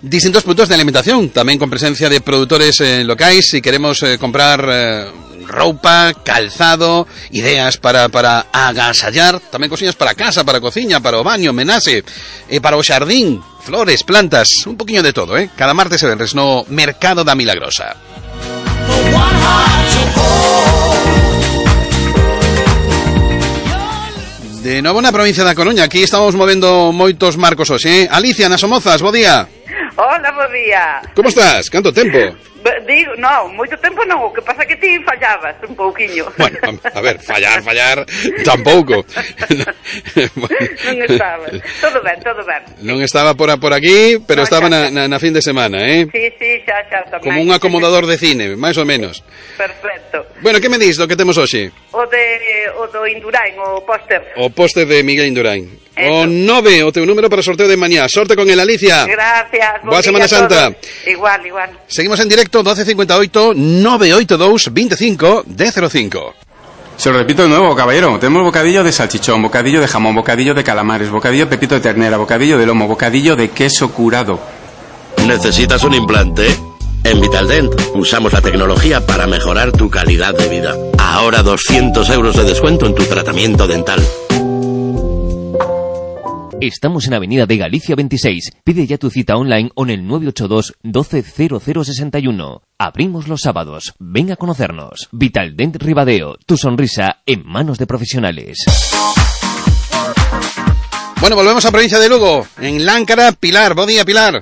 distintos produtos de alimentación, tamén con presencia de produtores eh, locais. Si queremos eh, comprar eh, roupa, calzado, ideas para, para agasallar, tamén cosiñas para casa, para cociña, para o baño, menase, eh, para o xardín, flores, plantas, un poquinho de todo, eh? Cada martes e venres no mercado da Milagrosa. De novo na provincia da Coruña, aquí estamos movendo moitos marcos hoxe, eh? Alicia, nas Somozas, bo día. Hola, bo día. Como estás? Canto tempo? Digo, no, moito tempo non, o que pasa que ti fallabas un pouquiño. Bueno, a ver, fallar, fallar, tampouco. Bueno. Non estabas, todo ben, todo ben. Non estaba por, por aquí, pero no, estaba na, na, na fin de semana, eh? Sí, sí, xa, xa, tamén. Como un acomodador de cine, máis ou menos. Perfecto. Bueno, que me dis do que temos hoxe? O de o do Indurain, o póster. O póster de Miguel Indurain. Eso. O nove, o teu número para sorteo de mañá. Sorte con el, Alicia. Gracias. Boa Semana Santa. Igual, igual. Seguimos en directo, doce cincuenta y ocho, nove oito dous, veinticinco, diez cero cinco. Se lo repito de nuevo, caballero. Tenemos bocadillo de salchichón, bocadillo de jamón, bocadillo de calamares, bocadillo de pepito de ternera, bocadillo de lomo, bocadillo de queso curado. ¿Necesitas un implante? En Vitaldent usamos la tecnología para mejorar tu calidad de vida. Ahora doscientos euros de descuento en tu tratamiento dental. Estamos en Avenida de Galicia veintiséis. Pide ya tu cita online o en el nueve ocho dos, doce, cero cero sesenta y uno. Abrimos los sábados. Ven a conocernos. Vitaldent Ribadeo. Tu sonrisa en manos de profesionales. Bueno, volvemos a provincia de Lugo. En Láncara, Pilar. Bo día, Pilar.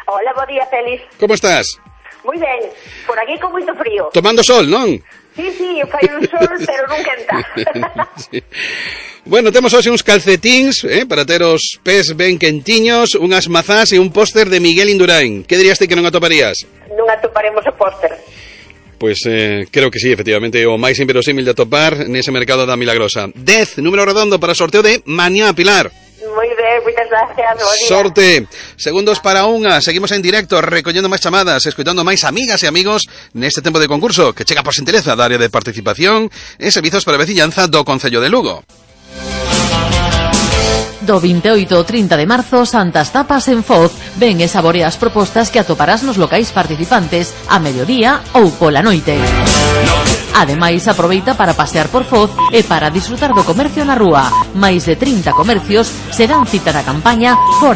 Hola, bo día, Félix. Como estás? Moi ben. Por aquí con moito frío. Tomando sol, non? Sí, sí, fai un sol, pero non quenta. Sí. Bueno, temos hoxe uns calcetíns, eh, para ter os pés ben quentiños, unhas mazás e un póster de Miguel Indurain. Que dirías ti que non atoparías? Non atoparemos o póster. Pois eh, creo que sí, efectivamente, o máis inverosímil de atopar nese mercado da Milagrosa. dez, número redondo para sorteo de mañá, Pilar. Moi ben, moitas gracias. Sorte. Segundos para unha. Seguimos en directo, recollendo máis chamadas, escoitando máis amigas e amigos neste tempo de concurso que chega por xentileza da área de participación e servizos para a veciñanza do Concello de Lugo. Do veintiocho ao trinta de marzo, Santas Tapas en Foz. Ven e saborea as propostas que atoparás nos locais participantes a mediodía ou pola noite. Ademais, aproveita para pasear por Foz e para disfrutar do comercio na rúa. Máis de trinta comercios se dan cita na campaña Fora